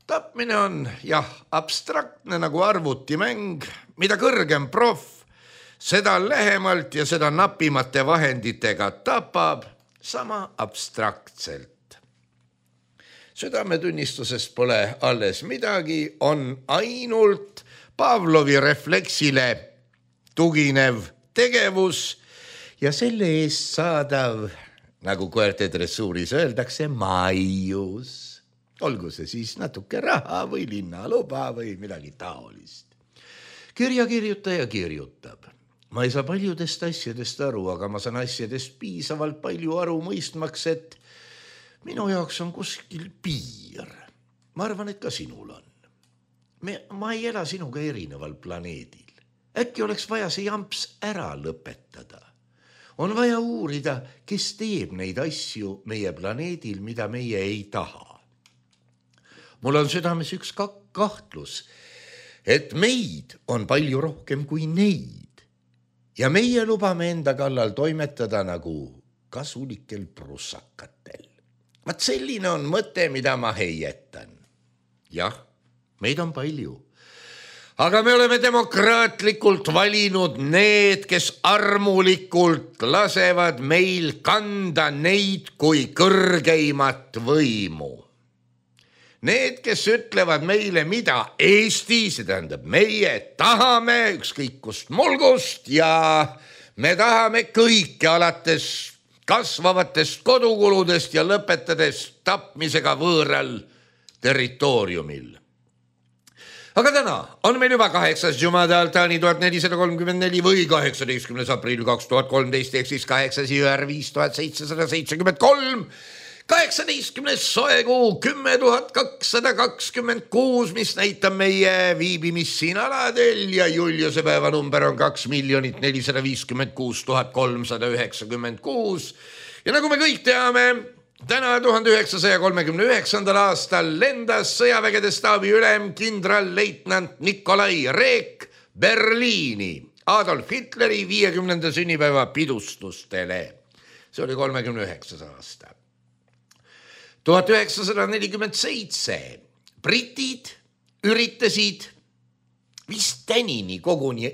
Tapmine on jah, abstraktne nagu arvutimäng, mida kõrgem proff, seda lähemalt ja seda napimate vahenditega tapab sama abstraktselt. Südametunnistusest pole alles midagi, on ainult Pavlovi refleksile tuginev tegevus ja selle eest saadav, nagu koerte dressuuris öeldakse, maius. Olgu see siis natuke raha või linnaluba või midagi taolist. Kirjakirjutaja kirjutab. Ma ei saa paljudest asjadest aru, aga ma saan asjadest piisavalt palju aru mõistmaks, et minu jaoks on kuskil piir. Ma arvan, et ka sinul on. Me, ma ei ela sinuga erineval planeedil. Äkki oleks vaja see jamps ära lõpetada. On vaja uurida, kes teeb neid asju meie planeedil, mida meie ei taha. Mul on südames üks kahtlus, et meid on palju rohkem kui neid. Ja meie lubame enda kallal toimetada nagu kasulikel prussakatel. Vaat selline on mõte, mida ma heietan. Jah, meid on palju. Aga me oleme demokraatlikult valinud need, kes armulikult lasevad meil kanda neid kui kõrgeimat võimu. Need, kes ütlevad meile, mida Eesti, see tähendab meie, tahame ükskõik kust mulgust ja me tahame kõike alates kasvavatest kodukuludest ja lõpetades tapmisega võõral territooriumil. Aga täna on meil juba kaheksas jumada altani tuhat nelisada kolmkümmend neli või kaheksateistkümnes aprill kaks tuhat kolmteist ehk siis kaheksas jüär viis tuhat seitsesada seitsekümmend kolm. kaheksateistkümnes soekuu kümme tuhat kakssada kakskümmend kuus, mis näitab meie viibimist siin aladel ja Juliuse päeva number on kaks miljonit nelisada viiskümmend kuus tuhat kolmsada üheksakümmend kuus. Ja nagu me kõik teame, täna tuhande üheksasaja kolmekümne üheksandal aastal lendas sõjavägede staabi ülem kindralleitnant Nikolai Reek Berliini Adolf Hitleri viiekümnenda sünnipäeva pidustustele. See oli kolmekümne üheksas aasta. tuhat üheksasada nelikümmend seitse britid üritasid vist tänini koguni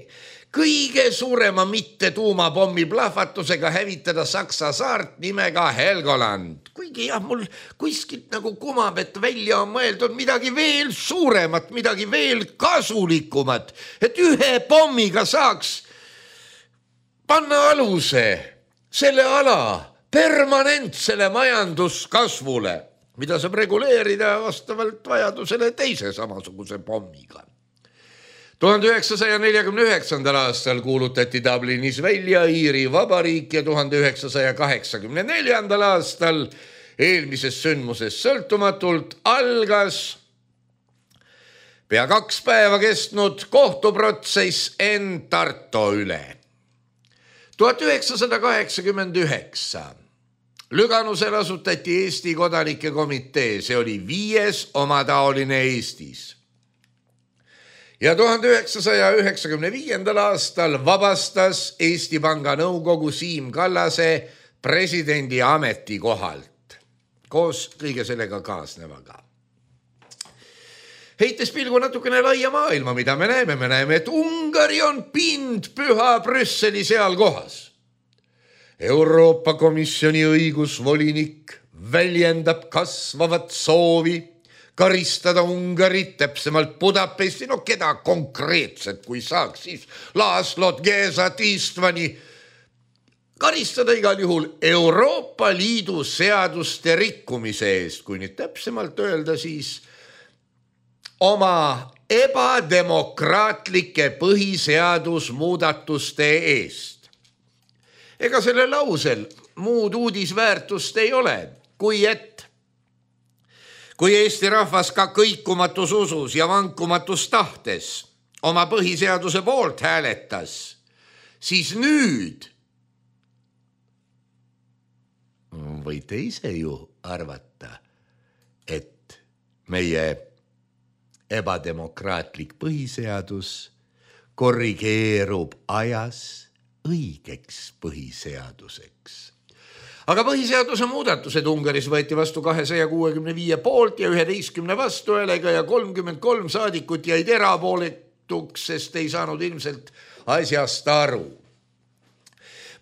kõige suurema mitte tuumapommi plahvatusega hävitada Saksa saart nimega Helgoland. Kuigi jah, mul kuskilt nagu kumab, et välja on mõeldud midagi veel suuremat, midagi veel kasulikumat, et ühe pommiga saaks panna aluse selle ala permanentsele majanduskasvule, mida saab reguleerida vastavalt vajadusele teise samasuguse pommiga. tuhande üheksasaja neljakümne üheksandal aastal kuulutati Dublinis välja Iiri Vabariik ja tuhande üheksasaja kaheksakümne neljandal aastal eelmisest sündmusest sõltumatult algas pea kaks päeva kestnud kohtuprotsess Enn Tarto üle. tuhat üheksasada kaheksakümmend üheksa Lüganusel asutati Eesti kodanike komitee, see oli viies omataoline Eestis. Ja tuhande üheksasaja üheksakümne viiendal aastal vabastas Eesti Panga nõukogu Siim Kallase presidendi ametikohalt, koos kõige sellega kaasnevaga. Heites pilgu natukene laia maailma, mida me näeme, me näeme, et Ungari on pind püha Brüsseli seal kohas. Euroopa Komisjoni õigusvolinik väljendab kasvavat soovi karistada Ungarit, täpsemalt Budapesti, no keda konkreetselt, kui saaks, siis Lászlót, Gézat, Istvani, karistada igal juhul Euroopa Liidu seaduste rikkumise eest, kui nüüd täpsemalt öelda, siis oma ebademokraatlike põhiseadusmuudatuste eest. Ega selle lausel muud uudisväärtust ei ole, kui et kui Eesti rahvas ka kõikumatus usus ja vankumatus tahtes oma põhiseaduse poolt hääletas, siis nüüd võite ise ju arvata, et meie ebademokraatlik põhiseadus korrigeerub ajas õigeks põhiseaduseks. Aga põhiseaduse muudatused Ungaris võeti vastu kahesaja kuuekümne viie poolt ja üheteistkümne vastuhäälega ja kolmkümmend kolm saadikut jäid erapooletuks, sest ei saanud ilmselt asjast aru.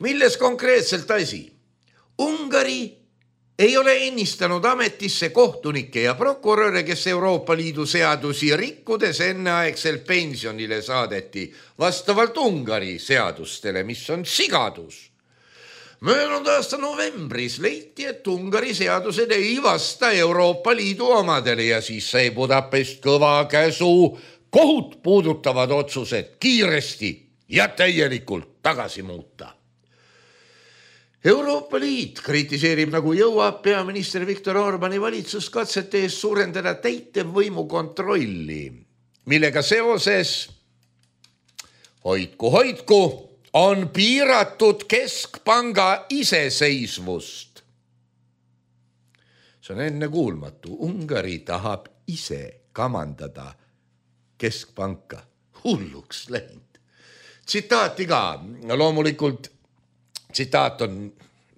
Milles konkreetselt asi? Ungari ei ole ennistanud ametisse kohtunikke ja prokuröre, kes Euroopa Liidu seadusi rikkudes enneaegselt pensionile saadeti vastavalt Ungari seadustele, mis on sigadus. Möödunud aasta novembris leiti, et Ungari seadused ei vasta Euroopa Liidu omadele ja siis sai Budapest kõva käsu kohut puudutavad otsused kiiresti ja täielikult tagasi muuta. Euroopa Liit kritiseerib nagu jõuab peaminister Viktor Orbani valitsuskatsete eest suurendada täitevvõimu kontrolli, millega seoses hoidku, hoidku on piiratud keskpanga iseseisvust. See on enne kuulmatu. Ungari tahab ise kamandada keskpanka. Hulluks läinud. Tsitaati ka. Loomulikult tsitaat on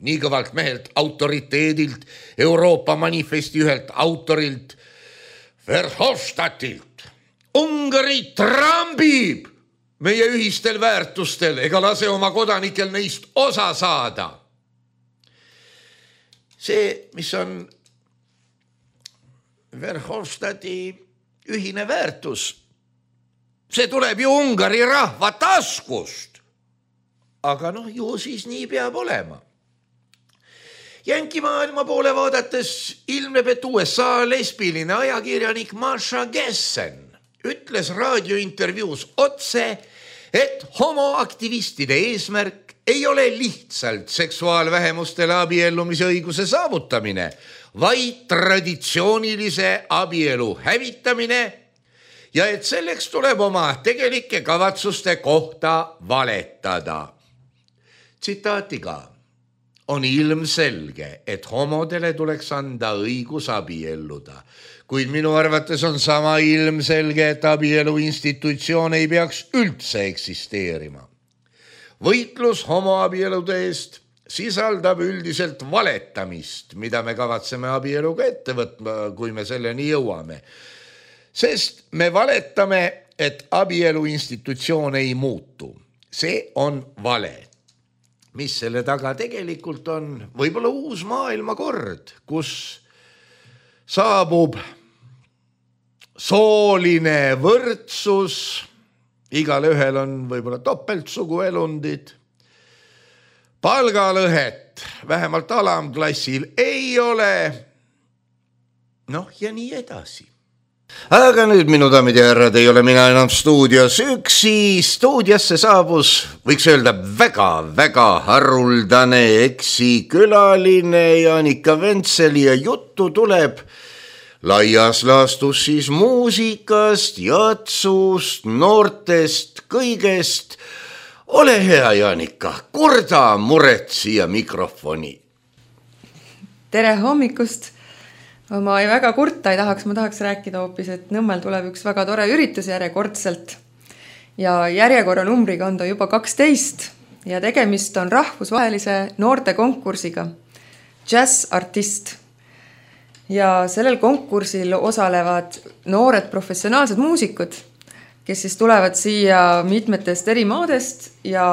nii kõvalt mehelt autoriteedilt, Euroopa manifesti ühelt autorilt, Verhofstadtilt. Ungari trambib meie ühistel väärtustel ega lase oma kodanikel neist osa saada. See, mis on Verhofstadti ühine väärtus, see tuleb ju Ungari rahva taskust. Aga noh, ju siis nii peab olema. Jänki maailma poole vaadates ilmneb, et U S A lesbiline ajakirjanik Masha Gessen ütles raadiointervjuus otse, et homoaktivistide eesmärk ei ole lihtsalt seksuaalvähemustele abiellumise õiguse saavutamine, vaid traditsioonilise abielu hävitamine ja et selleks tuleb oma tegelike kavatsuste kohta valetada. Tsitaatiga on ilmselge, et homodele tuleks anda õigus abielluda, kuid minu arvates on sama ilmselge, et abielu institutsioon ei peaks üldse eksisteerima. Võitlus homoabielude eest sisaldab üldiselt valetamist, mida me kavatseme abieluga ette võtma, kui me selleni jõuame. Sest me valetame, et abielu institutsioon ei muutu. See on vale. Mis selle taga tegelikult on? Võib-olla uus maailmakord, kus saabub sooline võrdsus, igal ühel on võib-olla topeltsuguelundid, palgalõhet vähemalt alamklassil ei ole, noh ja nii edasi. Aga nüüd, minu daamid ja härrad, ei ole mina enam stuudios üksi. Stuudiosse saabus, võiks öelda, väga-väga haruldane eksikülaline Jaanika Ventsel ja juttu tuleb laias laastus siis muusikast, jatsust, noortest, kõigest. Ole hea, Jaanika, korda muret siia mikrofoni. Tere hommikust! Ma ei väga kurta ei tahaks, ma tahaks rääkida hoopis, et Nõmmel tuleb üks väga tore üritus järjekordselt ja järjekorranumbriga on ta juba kaksteist ja tegemist on rahvusvahelise noorte konkursiga Jazz Artist. Ja sellel konkursil osalevad noored professionaalsed muusikud, kes siis tulevad siia mitmetest eri maadest ja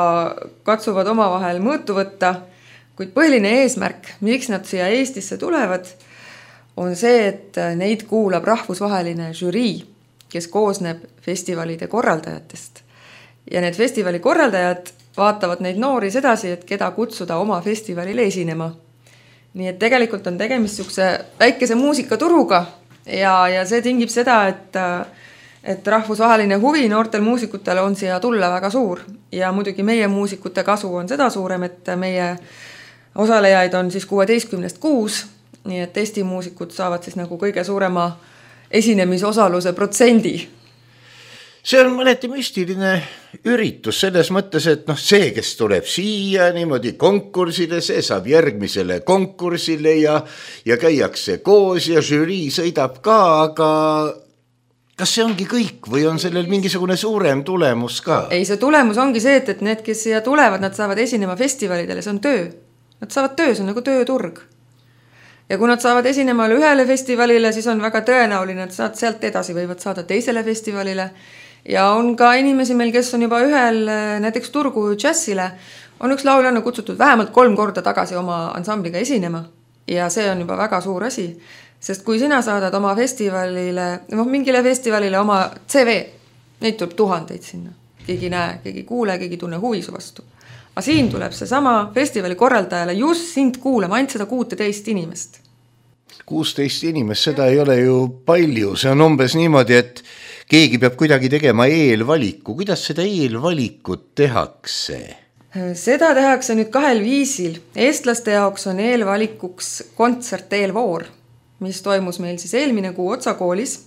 katsuvad omavahel mõõtu võtta, kuid põhiline eesmärk, miks nad siia Eestisse tulevad, on see, et neid kuulab rahvusvaheline žürii, kes koosneb festivalide korraldajatest. Ja need festivali korraldajad vaatavad neid noori sedasi, et keda kutsuda oma festivalile esinema. Nii et tegelikult on tegemist sükse väikese muusikaturuga ja, ja see tingib seda, et, et rahvusvaheline huvi noortel muusikutel on siia tulla väga suur. Ja muidugi meie muusikute kasu on seda suurem, et meie osalejaid on siis kuueteistkümnest kuus, nii et Eesti muusikud saavad siis nagu kõige suurema esinemisosaluse protsendi. See on mõneti müstiline üritus selles mõttes, et noh, see, kes tuleb siia niimoodi konkursile, see saab järgmisele konkursile ja, ja käiakse koos ja žürii sõidab ka, aga kas see ongi kõik või on sellel mingisugune suurem tulemus ka? Ei, see tulemus ongi see, et, et need, kes siia tulevad, nad saavad esinema festivalidele, see on töö. Nad saavad töö, see on nagu tööturg. Ja kui nad saavad esinema ühele festivalile, siis on väga tõenäoline, et saad sealt edasi võivad saada teisele festivalile. Ja on ka inimesi meil, kes on juba ühel, näiteks Turgu džässile, on üks lauljanna kutsutud vähemalt kolm korda tagasi oma ansambliga esinema. Ja see on juba väga suur asi, sest kui sina saadad oma festivalile, no mingile festivalile oma C V, neid tuleb tuhandeid sinna. Keegi näe, keegi kuule, keegi tunne huvi su vastu. Aga siin tuleb see sama festivali korraldajale just sind kuulema, ainult seda kuusteist inimest. kuusteist inimest, seda ei ole ju palju. See on umbes niimoodi, et keegi peab kuidagi tegema eelvaliku. Kuidas seda eelvalikut tehakse? Seda tehakse nüüd kahel viisil. Eestlaste jaoks on eelvalikuks kontsert eelvoor, mis toimus meil siis eelmine kuu Otsakoolis.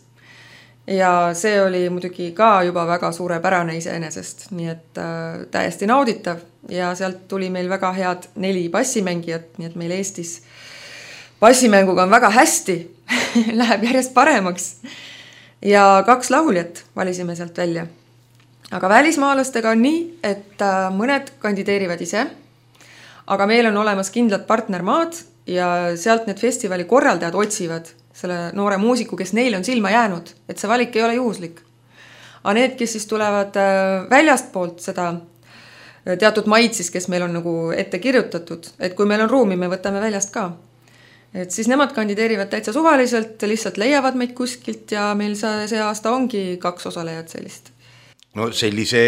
Ja see oli muidugi ka juba väga suurepärane iseenesest, nii et äh, täiesti nauditav ja sealt tuli meil väga head neli bassimängijat, nii et meil Eestis bassimänguga on väga hästi, läheb järjest paremaks ja kaks lauljat valisime sealt välja. Aga välismaalastega on nii, et äh, mõned kandideerivad ise, aga meil on olemas kindlad partnermaad ja sealt need festivali korraldajad otsivad selle noore muusiku, kes neil on silma jäänud, et see valik ei ole juhuslik. Aga need, kes siis tulevad väljast poolt seda teatud maid siis, kes meil on nagu ette kirjutatud, et kui meil on ruumi, me võtame väljast ka. Et siis nemad kandideerivad täitsa suvaliselt, lihtsalt leiavad meid kuskilt ja meil see aasta ongi kaks osalejat sellist. No sellise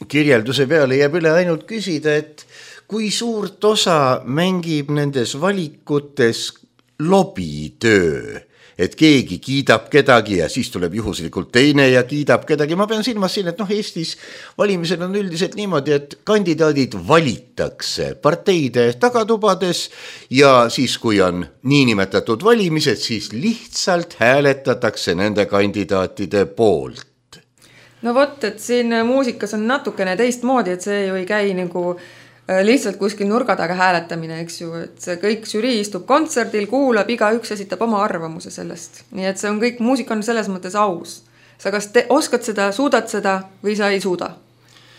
kirjelduse peale jääb üle ainult küsida, et kui suurt osa mängib nendes valikutes lobitöö, et keegi kiidab kedagi ja siis tuleb juhuslikult teine ja kiidab kedagi. Ma pean silmas siin, et noh, Eestis valimisel on üldiselt niimoodi, et kandidaadid valitakse parteide tagatubades ja siis, kui on niinimetatud valimised, siis lihtsalt hääletatakse nende kandidaatide poolt. No vot, et siin muusikas on natukene teistmoodi, et see ju ei käi nagu lihtsalt kuskil nurga taga hääletamine, eks ju, et see kõik žürii istub kontserdil, kuulab, iga üks esitab oma arvamuse sellest. Nii et see on kõik, muusika on selles mõttes aus. Sa kas te, oskad seda, suudad seda või sa ei suuda.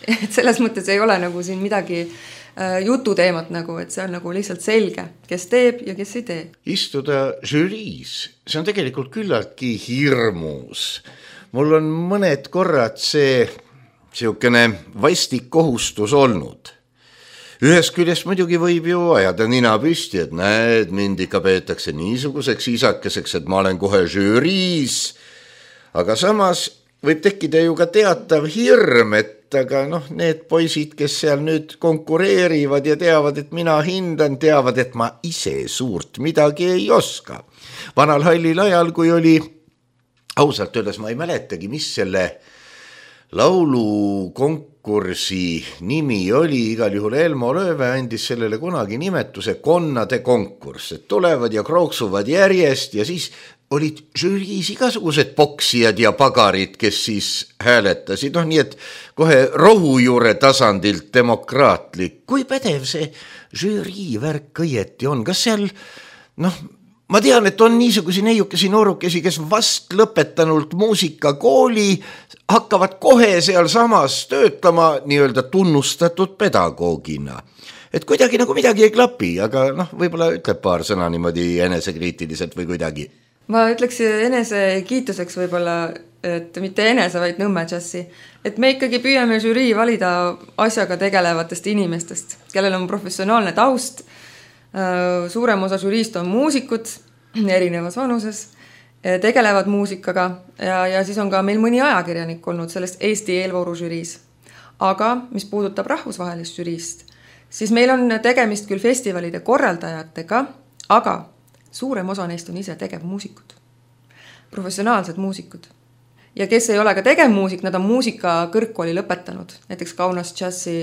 Et selles mõttes ei ole nagu siin midagi äh, jututeemat nagu, et see on nagu lihtsalt selge, kes teeb ja kes ei tee. Istuda žüriis, see on tegelikult küllaltki hirmus. Mul on mõned korrad see siukene vastik kohustus olnud. Ühest küljest muidugi võib ju ajada nina püsti, et näed, mind ikka peetakse niisuguseks isakeseks, et ma olen kohe žüriis. Aga samas võib tekkida ju ka teatav hirm, et aga noh, need poisid, kes seal nüüd konkureerivad ja teavad, et mina hindan, teavad, et ma ise suurt midagi ei oska. Vanal hallil ajal, kui oli, ausalt öeldes ma ei mäletagi, mis selle laulu konkursi nimi oli, igal juhul Elmo Lööve andis sellele kunagi nimetuse konnade konkurss, et tulevad ja krooksuvad järjest ja siis olid žüriis igasugused poksijad ja pagarid, kes siis hääletasid, noh nii, et kohe rohujuure tasandilt demokraatlik. Kui pädev see žürii värk õieti on? Kas seal, noh, ma tean, et on niisugusi neiukesi noorukesi, kes vast lõpetanult muusikakooli hakkavad kohe seal samas töötama nii-öelda tunnustatud pedagoogina. Et kuidagi nagu midagi ei klapi, aga noh, võib-olla ütleb paar sõna niimoodi enesekriitiliselt või kuidagi. Ma ütleks enese kiituseks võib-olla, et mitte enese, vaid Nõmme džässi. Et me ikkagi püüame žürii valida asjaga tegelevatest inimestest, kellel on professionaalne taust. Suurem osa žüriist on muusikud erinevas vanuses, tegelevad muusikaga ja, ja siis on ka meil mõni ajakirjanik olnud sellest Eesti eelvooru žüriis. Aga mis puudutab rahvusvahelist žüriist, siis meil on tegemist küll festivalide korraldajatega, aga suurem osa neist on ise tegevmuusikud, professionaalsed muusikud. Ja kes ei ole ka tegevmuusik, nad on muusika kõrgkooli lõpetanud, näiteks Kaunas Jazzi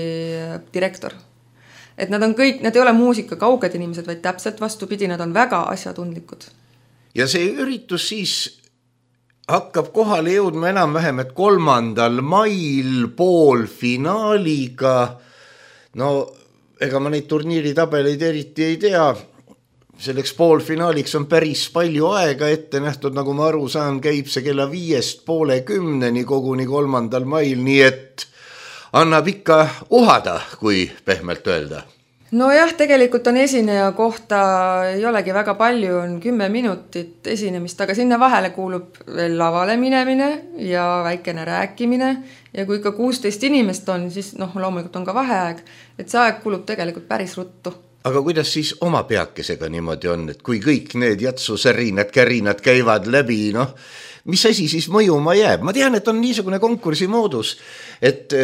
direktor. Et nad on kõik, nad ei ole muusika kauged inimesed, vaid täpselt vastupidi, nad on väga asjatundlikud. Ja see üritus siis hakkab kohale jõudma enam-vähem, et kolmandal mail poolfinaaliga, no ega ma neid turniiritabeleid eriti ei tea, selleks poolfinaaliks on päris palju aega ette nähtud, nagu ma aru saan, käib see kella viiest poole kümneni koguni kolmandal mail, nii et annab ikka uhada, kui pehmelt öelda. No jah, tegelikult on esineja kohta, ei olegi väga palju, on kümme minutit esinemist, aga sinna vahele kuulub veel lavale minemine ja väikene rääkimine ja kui ikka kuusteist inimest on, siis noh, loomulikult on ka vaheaeg, et see aeg kulub tegelikult päris ruttu. Aga kuidas siis oma peakesega niimoodi on, et kui kõik need jatsusärinad, kärinad käivad läbi, noh, mis asi siis mõjuma jääb? Ma tean, et on niisugune konkursimoodus, et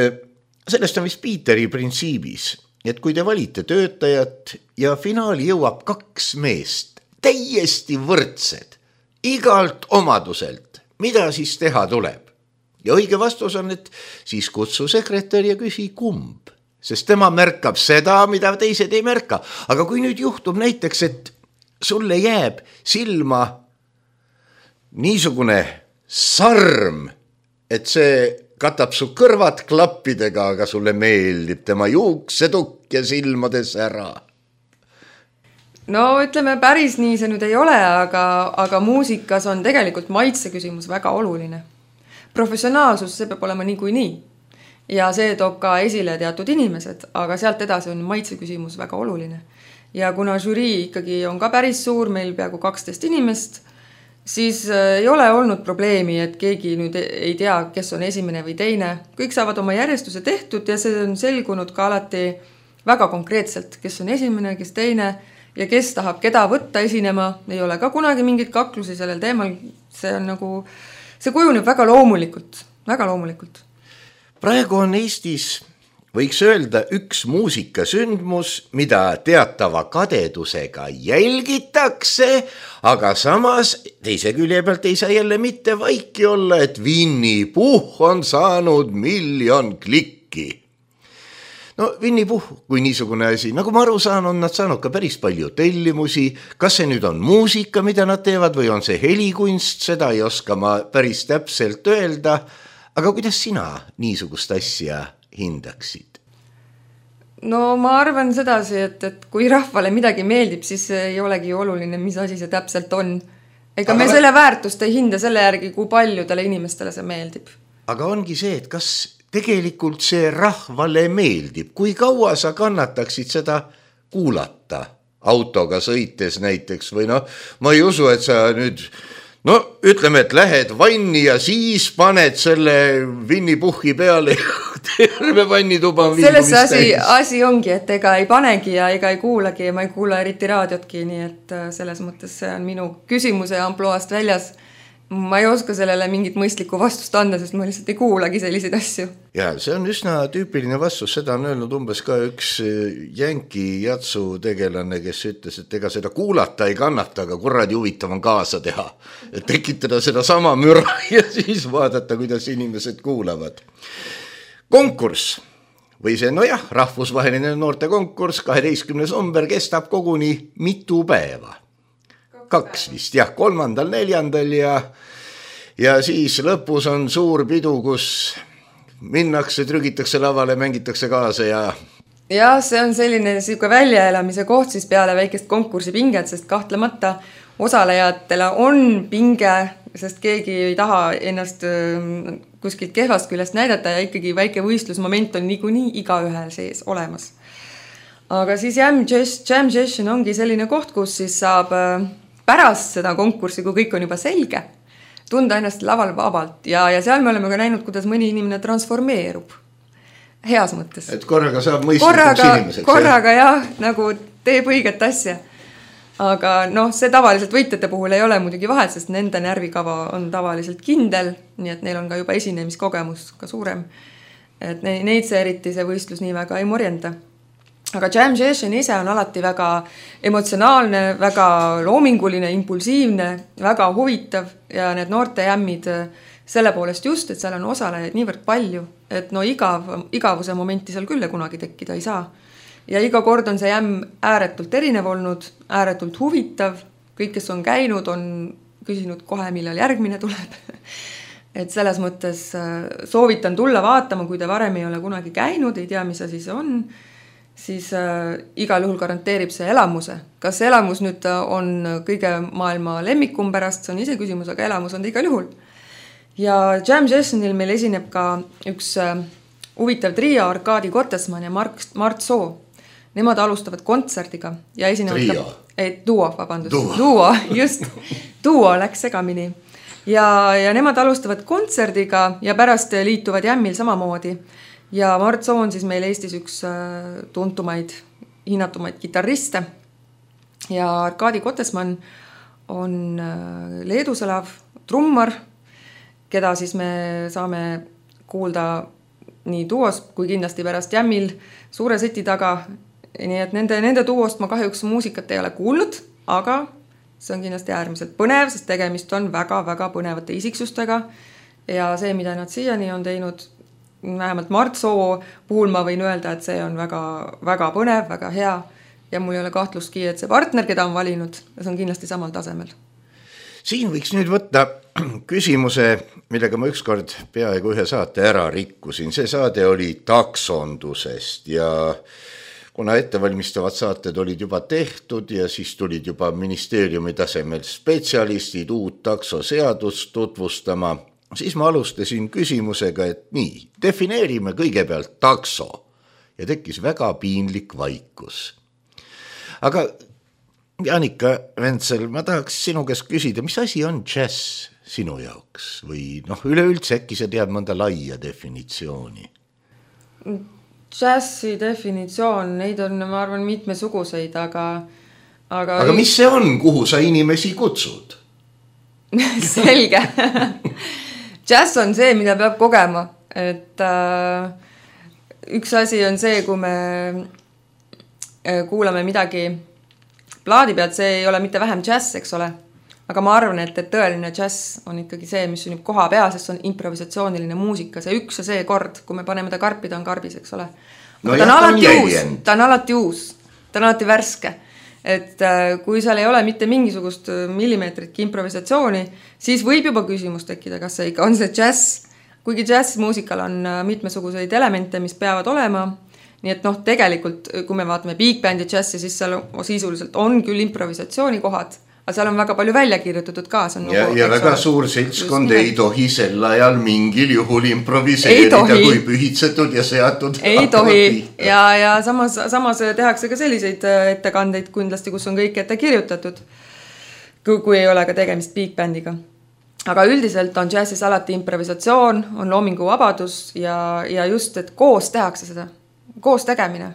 sellest on vist Piiteri printsiibis, et kui te valite töötajat ja finaali jõuab kaks meest, täiesti võrdsed, igalt omaduselt, mida siis teha tuleb? Ja õige vastus on, et siis kutsu sekretär ja küsi kumb, sest tema märkab seda, mida teised ei märka. Aga kui nüüd juhtub näiteks, et sulle jääb silma niisugune sarm, et see katab su kõrvad klappidega, aga sulle meeldib tema juuksetukk ja silmades ära. No ütleme, päris nii see nüüd ei ole, aga, aga muusikas on tegelikult maitse küsimus väga oluline. Professionaalsus, see peab olema nii kui nii. Ja see toob ka esile teatud inimesed, aga sealt edasi on maitse küsimus väga oluline. Ja kuna žürii ikkagi on ka päris suur, meil peaaegu kaksteist inimest, siis ei ole olnud probleemi, et keegi nüüd ei tea, kes on esimene või teine. Kõik saavad oma järjestuse tehtud ja see on selgunud ka alati väga konkreetselt, kes on esimene, kes teine ja kes tahab keda võtta esinema. Ei ole ka kunagi mingit kaklusi sellel teemal. See on nagu, see kujuneb väga loomulikult, väga loomulikult. Praegu on Eestis, võiks öelda, üks muusikasündmus, mida teatava kadedusega jälgitakse, aga samas teise külje pealt ei saa jälle mitte vaiki olla, et Winnie Puh on saanud miljon klikki. No Winnie Puh, kui niisugune asi, nagu ma aru saan, on nad saanud ka päris palju tellimusi. Kas see nüüd on muusika, mida nad teevad või on see helikunst, seda ei oska ma päris täpselt öelda. Aga kuidas sina niisugust asja hindaksid? No ma arvan sedasi, et, et kui rahvale midagi meeldib, siis ei olegi oluline, mis asi see täpselt on. Ega aga me selle väärtust ei hinda selle järgi, kui paljudele inimestele see meeldib. Aga ongi see, et kas tegelikult see rahvale meeldib, kui kaua sa kannataksid seda kuulata autoga sõites näiteks või noh, ma ei usu, et sa nüüd... No ütleme, et lähed vanni ja siis paned selle Winnie Puhi peale terve vannituba on selles asi, asi ongi, et ega ei panegi ja ega ei kuulagi ja ma ei kuula eriti raadiotki, nii et selles mõttes see on minu küsimuse ampluast väljas. Ma ei oska sellele mingit mõistlikku vastust anda, sest ma lihtsalt ei kuulagi selliseid asju. Ja see on üsna tüüpiline vastus, seda on öelnud umbes ka üks jänki jatsu tegelane, kes ütles, et ega seda kuulata ei kannata, aga kuradi huvitav on kaasa teha. Et tekitada seda sama müra ja siis vaadata, kuidas inimesed kuulavad. Konkurss või see, no jah, rahvusvaheline noorte konkurss, kaheteistkümnes number kestab koguni mitu päeva. Kaks vist, jah, kolmandal, neljandal ja, ja siis lõpus on suur pidu, kus minnakse, trügitakse lavale, mängitakse kaasa ja... Ja see on selline siuke väljaelamise koht siis peale väikest konkursi pinget, sest kahtlemata osalejatele on pinge, sest keegi ei taha ennast kuskilt kehvast küljest näidata ja ikkagi väike võistlusmoment on niikuinii igaühel sees olemas. Aga siis jam session ongi selline koht, kus siis saab... pärast seda konkurssi, kui kõik on juba selge, tunda ennast laval vabalt ja, ja seal me oleme ka näinud, kuidas mõni inimene transformeerub. Heas mõttes. Et korraga saab mõistlikuks inimeseks. Korraga jah, nagu teeb õiget asja. aga noh, see tavaliselt võitjate puhul ei ole muidugi vahet, sest nende närvikava on tavaliselt kindel, nii et neil on ka juba esinemiskogemus ka suurem. Et neid see eriti see võistlus nii väga ei morjenda. Aga jam session ise on alati väga emotsionaalne, väga loominguline, impulsiivne, väga huvitav ja need noorte jämmid selle poolest just, et seal on osalejaid niivõrd palju, et no igav, igavuse momenti seal küll kunagi tekkida ei saa. Ja iga kord on see jämm ääretult erinev olnud, ääretult huvitav, kõik, kes on käinud, on küsinud kohe, millal järgmine tuleb. Et selles mõttes soovitan tulla vaatama, kui te varem ei ole kunagi käinud, ei tea, mis see siis on, siis äh, igal juhul garanteerib see elamuse. Kas see elamus nüüd on kõige maailma lemmikum pärast, see on ise küsimus, aga elamus on ta igal juhul. Ja Jam Sessionil meil esineb ka üks äh, huvitav trio, Arkadi Kottesman ja Mark, Mart Soo. Nemad alustavad kontserdiga ja esinevad trio. Ka, ei, duo, vabandust. Duo, duo just. Duo läks segamini. Ja, ja nemad alustavad kontserdiga ja pärast liituvad jämmil samamoodi. Ja Mart Soo on siis meil Eestis üks tuntumaid, hinnatumaid kitarriste. Ja Arkadi Kottesman on Leedus elav trummar, keda siis me saame kuulda nii duos kui kindlasti pärast jämmil suure seti taga. Nii et nende, nende duost ma kahjuks muusikat ei ole kuulnud, aga see on kindlasti äärmiselt põnev, sest tegemist on väga-väga põnevate isiksustega. Ja see, mida nad siiani on teinud, vähemalt Mart Soo puhul ma võin öelda, et see on väga, väga põnev, väga hea ja mul ei ole kahtlustki, et see partner, keda on valinud, see on kindlasti samal tasemel. Siin võiks nüüd võtta küsimuse, millega ma ükskord peaaegu ühe saate ära rikkusin. See saade oli taksondusest ja kuna ettevalmistavad saated olid juba tehtud ja siis tulid juba ministeeriumi tasemel spetsialistid uut taksoseadust tutvustama, siis ma alustasin küsimusega, et nii, defineerime kõigepealt takso ja tekkis väga piinlik vaikus. Aga Jaanika Ventsel, ma tahaks sinu käest küsida, mis asi on džäss sinu jaoks või noh, üleüldse äkki sa tead mõnda laia definitsiooni? Džässi definitsioon, neid on, ma arvan, mitmesuguseid, aga... Aga, aga mis see on, kuhu sa inimesi kutsud? Selge. Džäss on see, mida peab kogema, et äh, üks asi on see, kui me äh, kuulame midagi plaadi pealt, see ei ole mitte vähem džäss, eks ole, aga ma arvan, et, et tõeline džäss on ikkagi see, mis sünnib koha peal, sest see on improvisatsiooniline muusika, see üks ja see kord, kui me paneme ta karpi, ta on karbis, eks ole. No ta, on alati uus, ta on alati uus, ta on alati värske. Et kui seal ei ole mitte mingisugust millimeetritki improvisatsiooni, siis võib juba küsimus tekkida, kas see ikka on see džäss. Kuigi džäss muusikal on mitmesuguseid elemente, mis peavad olema. Nii et noh, tegelikult, kui me vaatame big bandi džässi, siis seal sisuliselt on küll improvisatsiooni kohad, aga seal on väga palju välja kirjutatud ka. Ja, nagu, ja väga ole, suur seltskond ei tohi sel ajal mingil juhul improviseerida, kui pühitsetud ja seatud. Ei tohi. Ja, ja samas, samas tehakse ka selliseid ettekandeid kindlasti, kus on kõik ette kirjutatud, kui, kui ei ole ka tegemist big bandiga. Aga üldiselt on džässis alati improvisatsioon, on loomingu vabadus ja, ja just, et koos tehakse seda. Koos tegemine.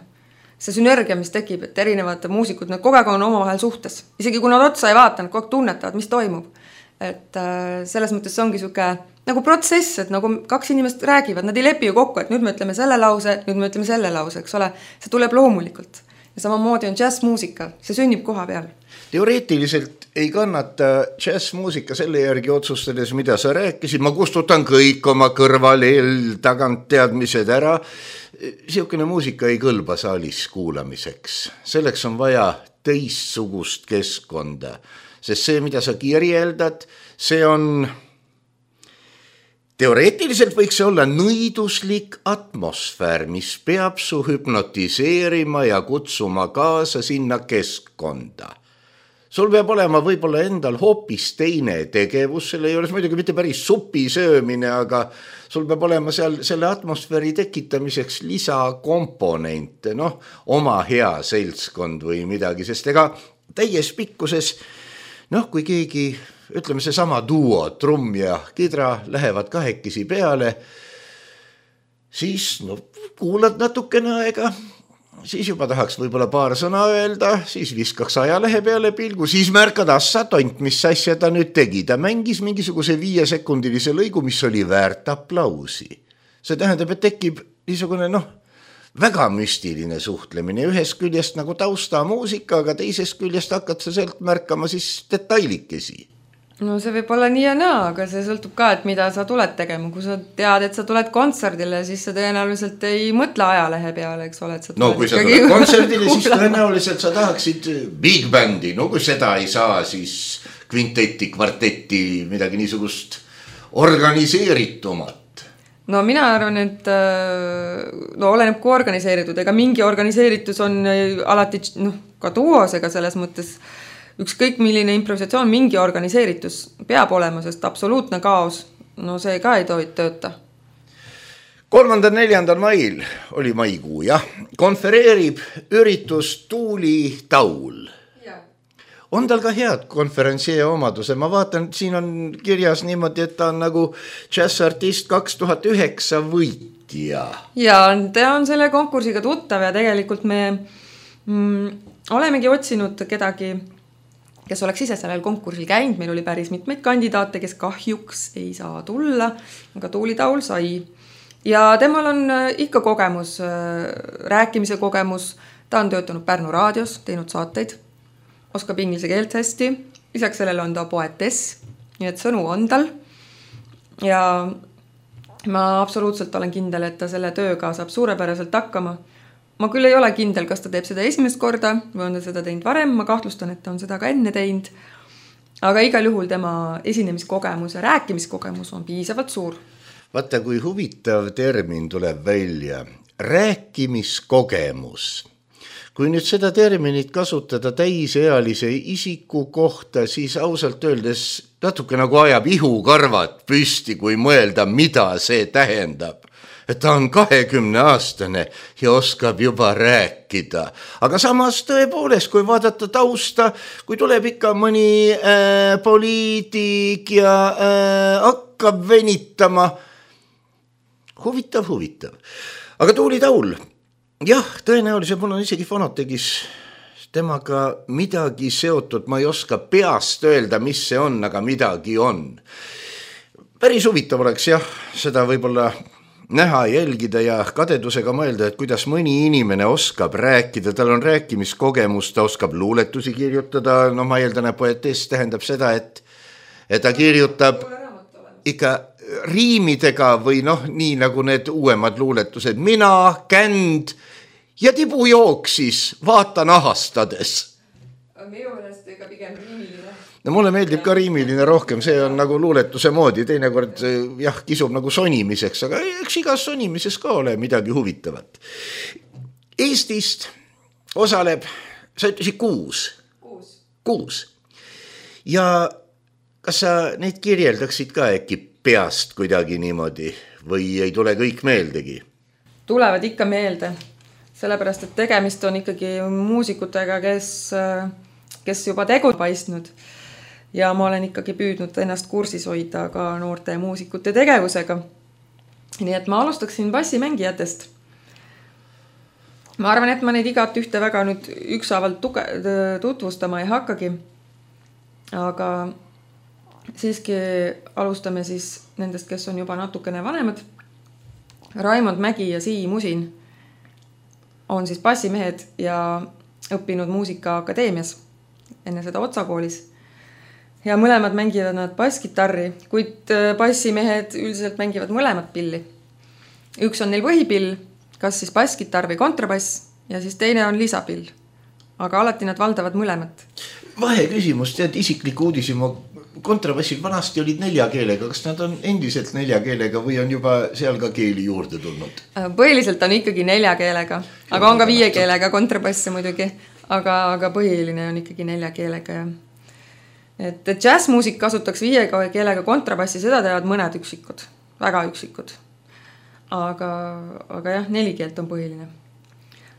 See sünergia, mis tekib, et erinevad muusikud, nad kogu aeg on omavahel suhtes. Isegi kui nad otsa ei vaata, nad kogu aeg tunnetavad, mis toimub. Et äh, selles mõttes see ongi siuke nagu protsess, et nagu kaks inimest räägivad, nad ei lepi ju kokku, et nüüd me ütleme selle lause, nüüd me ütleme selle lause, eks ole. See tuleb loomulikult. Ja samamoodi on džässmuusika, see sünnib koha peal. Teoreetiliselt ei kannata džässmuusika selle järgi otsustades, mida sa rääkisid. Ma kustutan kõik oma kõrvaleel tagant teadmised ära. Siukene muusika ei kõlba saalis kuulamiseks. Selleks on vaja teistsugust keskkonda. Sest see, mida sa kirjeldad, see on... Teoreetiliselt võiks see olla nõiduslik atmosfäär, mis peab su hüpnotiseerima ja kutsuma kaasa sinna keskkonda. Sul peab olema võib-olla endal hoopis teine tegevus, selle ei ole muidugi mitte päris supi söömine, aga sul peab olema seal selle atmosfääri tekitamiseks lisakomponente, noh, oma hea seltskond või midagi, sest ega täies pikkuses, noh, kui keegi... Ütleme see sama duo, trumm ja kidra lähevad kahekesi peale, siis no, kuulad natukene aega siis juba tahaks võib-olla paar sõna öelda, siis viskaks ajalehe peale pilgu, siis märkad assa tont, mis asja ta nüüd tegi. Ta mängis mingisuguse viiesekundilise lõigu, mis oli väärt aplausi. See tähendab, et tekib niisugune noh, väga müstiline suhtlemine. Ühest küljest nagu tausta muusika, aga teisest küljest hakkad sa sealt märkama siis detailikesi. No see võib olla nii ja naa, aga see sõltub ka, et mida sa tuled tegema. Kui sa tead, et sa tuled kontserdile, siis sa tõenäoliselt ei mõtle ajalehe peale, eks ole. Et sa no kui sa tuled kontserdile, siis tõenäoliselt sa tahaksid big bandi. No kui seda ei saa, siis kvintetti, kvartetti, midagi niisugust organiseeritumat. No mina arvan, et no oleneb kui organiseeritud. Ega mingi organiseeritus on alati no, ka duosega selles mõttes ükskõik milline improvisatsioon, mingi organiseeritus peab olema, sest absoluutne kaos, no see ka ei tohi tööta. kolmandal neljandal mail oli maikuu, jah, konfereerib üritus Tuuli Taul. Ja. On tal ka head konferentsieja omaduse, ma vaatan, siin on kirjas niimoodi, et ta on nagu džässartist kaks tuhat üheksa võitja. Ja, ta on selle konkursiga tuttav ja tegelikult me mm, olemegi otsinud kedagi, kes oleks ise sellel konkursil käinud, meil oli päris mitmeid kandidaate, kes kahjuks ei saa tulla, aga Tuuli Taul sai. Ja temal on ikka kogemus, rääkimise kogemus, ta on töötanud Pärnu raadios, teinud saateid, oskab inglise keelt hästi, lisaks sellele on ta poetess, nii et sõnu on tal. Ja ma absoluutselt olen kindel, et ta selle tööga saab suurepäraselt hakkama. Ma küll ei ole kindel, kas ta teeb seda esimest korda või on ta seda teinud varem, ma kahtlustan, et ta on seda ka enne teinud. Aga igal juhul tema esinemiskogemus ja rääkimiskogemus on piisavalt suur. Vaata, kui huvitav termin tuleb välja. Rääkimiskogemus. Kui nüüd seda terminit kasutada täisealise isiku kohta, siis ausalt öeldes natuke nagu ajab ihukarvad püsti, kui mõelda, mida see tähendab. Et ta on kahekümne aastane ja oskab juba rääkida. Aga samas tõepoolest, kui vaadata tausta, kui tuleb ikka mõni äh, poliitik ja äh, hakkab venitama, huvitav, huvitav. Aga Tuuli Taul, jah, tõenäoliselt mul on isegi fonotegis temaga midagi seotud, ma ei oska peast öelda, mis see on, aga midagi on. Päris huvitav oleks jah, seda võib-olla näha, jälgida ja kadedusega mõelda, et kuidas mõni inimene oskab rääkida, tal on rääkimiskogemus, ta oskab luuletusi kirjutada, no ma eeldan, et poetess tähendab seda, et, et ta kirjutab ikka riimidega või noh, nii nagu need uuemad luuletused, mina, känd ja tibu jooksis, vaatan ahastades. Minu meelest ega pigem riimiline. No mulle meeldib ka riimiline rohkem, see on nagu luuletuse moodi, teinekord jah, kisub nagu sonimiseks, aga eks igas sonimises ka ole midagi huvitavat. Eestist osaleb, sa ütlesid kuus. Kuus. Kuus. Ja kas sa neid kirjeldaksid ka äkki peast kuidagi niimoodi või ei tule kõik meeldegi? Tulevad ikka meelde, sellepärast, et tegemist on ikkagi muusikutega, kes, kes juba tegu paistnud. Ja ma olen ikkagi püüdnud ennast kursis hoida ka noorte muusikute tegevusega. Nii et ma alustaksin bassimängijatest. Ma arvan, et ma neid igat ühte väga nüüd üksavalt tuge, tutvustama ei hakkagi. Aga siiski alustame siis nendest, kes on juba natukene vanemad. Raimond Mägi ja Sii Musin on siis bassimehed ja õppinud muusikaakadeemias enne seda Otsakoolis. Ja mõlemad mängivad nad basskitarri, kuid bassimehed üldiselt mängivad mõlemad pilli. Üks on neil põhipill, kas siis basskitarr või kontrabass, ja siis teine on lisapill. Aga alati nad valdavad mõlemat. Vahe küsimus, tead isikliku uudisima kontrabassil vanasti olid nelja keelega, kas nad on endiselt nelja keelega või on juba seal ka keeli juurde tulnud? Põhiliselt on ikkagi nelja keelega, aga on ka viie keelega kontrabasse muidugi, aga, aga põhiline on ikkagi nelja keelega ja et, et jazzmuusik kasutaks viie keelega kontrabassi, seda teevad mõned üksikud, väga üksikud. Aga, aga jah, neli keelt on põhiline.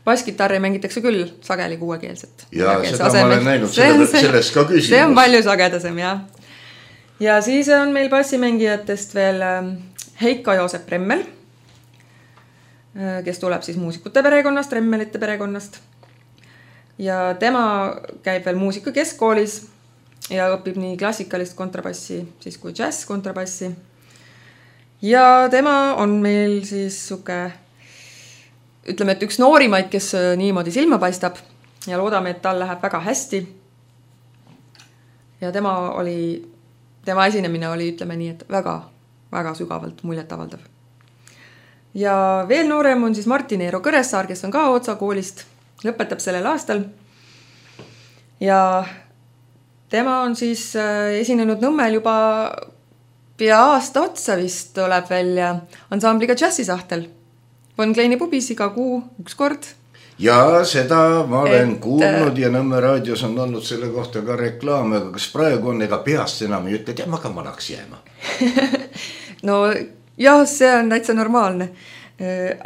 Basskitarri mängitakse küll sageli kuuekeelset. Ja seda asemel. Ma olen näinud selle, sellest ka küsimus. See on palju sagedasem, jah. Ja siis on meil bassimängijatest veel Heiko Joosep Remmel, kes tuleb siis muusikute perekonnast, Remmelite perekonnast. Ja tema käib veel muusika keskkoolis ja õpib nii klassikalist kontrabassi siis kui jazz kontrabassi. Ja tema on meil siis suke, ütleme, et üks noorimaid, kes niimoodi silma paistab ja loodame, et tal läheb väga hästi. Ja tema oli, tema esinemine oli, ütleme nii, et väga, väga sügavalt muljet avaldav. Ja veel noorem on siis Martin Eero Kõressaar, kes on ka Otsa koolist, lõpetab sellel aastal. Ja tema on siis esinenud Nõmmel juba pea aasta otsa vist tuleb välja ansambliga Jazzisahtel. Von Kleini pubis iga kuu üks kord. Ja seda ma olen et, kuulnud ja Nõmme raadios on olnud selle kohta ka reklaame, aga kas praegu on ega peast enam ei ütle, et ma ka vanaks jääma? No jah, see on täitsa normaalne.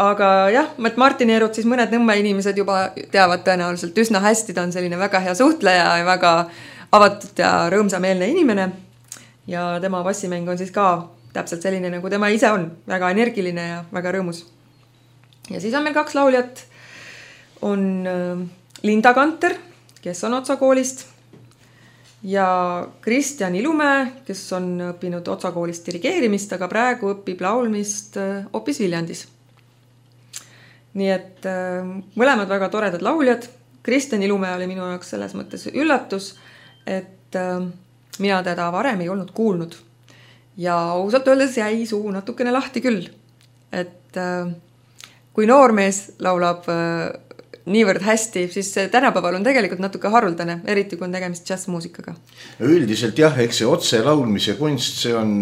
Aga jah, et Martin Eerot siis mõned Nõmme inimesed juba teavad tõenäoliselt üsna hästi, ta on selline väga hea suhtleja ja väga avatud ja rõõmsameelne inimene. Ja tema bassimäng on siis ka täpselt selline, nagu tema ise on, väga energiline ja väga rõõmus. Ja siis on meil kaks lauljat, on Linda Kanter, kes on Otsa koolist ja Kristjan Ilumäe, kes on õppinud Otsa koolist dirigeerimist, aga praegu õpib laulmist hoopis Viljandis. Nii et mõlemad väga toredad lauljad. Kristjan Ilumäe oli minu jaoks selles mõttes üllatus, et mina teda varem ei olnud kuulnud ja ausalt öeldes jäi suu natukene lahti küll, et kui noormees laulab niivõrd hästi, siis tänapäeval on tegelikult natuke haruldane, eriti kui on tegemist jazzmuusikaga. Üldiselt jah, eks see otse laulmise kunst, see on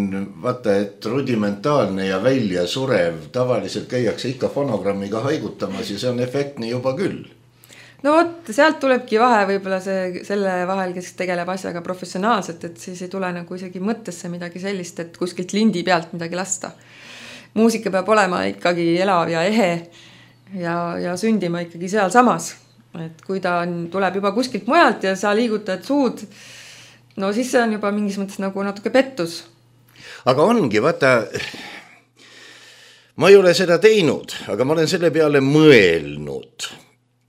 vaata, et rudimentaalne ja välja surev, tavaliselt käiakse ikka fonogrammiga haigutamas ja see on efektne juba küll. No vot, sealt tulebki vahe võib-olla see, selle vahel, kes tegeleb asjaga professionaalselt, et siis ei tule nagu isegi mõttesse midagi sellist, et kuskilt lindi pealt midagi lasta. Muusika peab olema ikkagi elav ja ehe ja, ja sündima ikkagi seal samas. Et kui ta on, tuleb juba kuskilt mujalt ja sa liigutad suud, no siis see on juba mingis mõttes nagu natuke pettus. Aga ongi, vaata, ma ei ole seda teinud, aga ma olen selle peale mõelnud.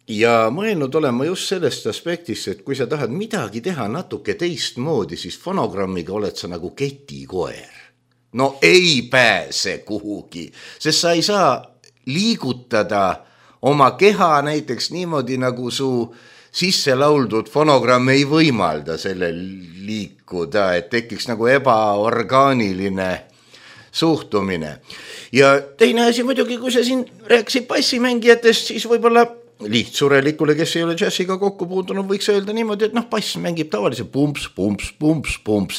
Ja mõelnud olema just sellest aspektist, et kui sa tahad midagi teha natuke teistmoodi, siis fonogrammiga oled sa nagu ketikoer. No ei pääse kuhugi, sest sa ei saa liigutada oma keha näiteks niimoodi, nagu su sisse lauldud fonogramm ei võimalda selle liikuda, et tekiks nagu ebaorgaaniline suhtumine. Ja teine asi muidugi, kui sa siin rääkisid bassimängijatest, siis võib-olla lihtsurelikule, kes ei ole džässiga kokku puutunud, võiks öelda niimoodi, et noh, bass mängib tavaliselt pumps, pumps, pumps, pumps,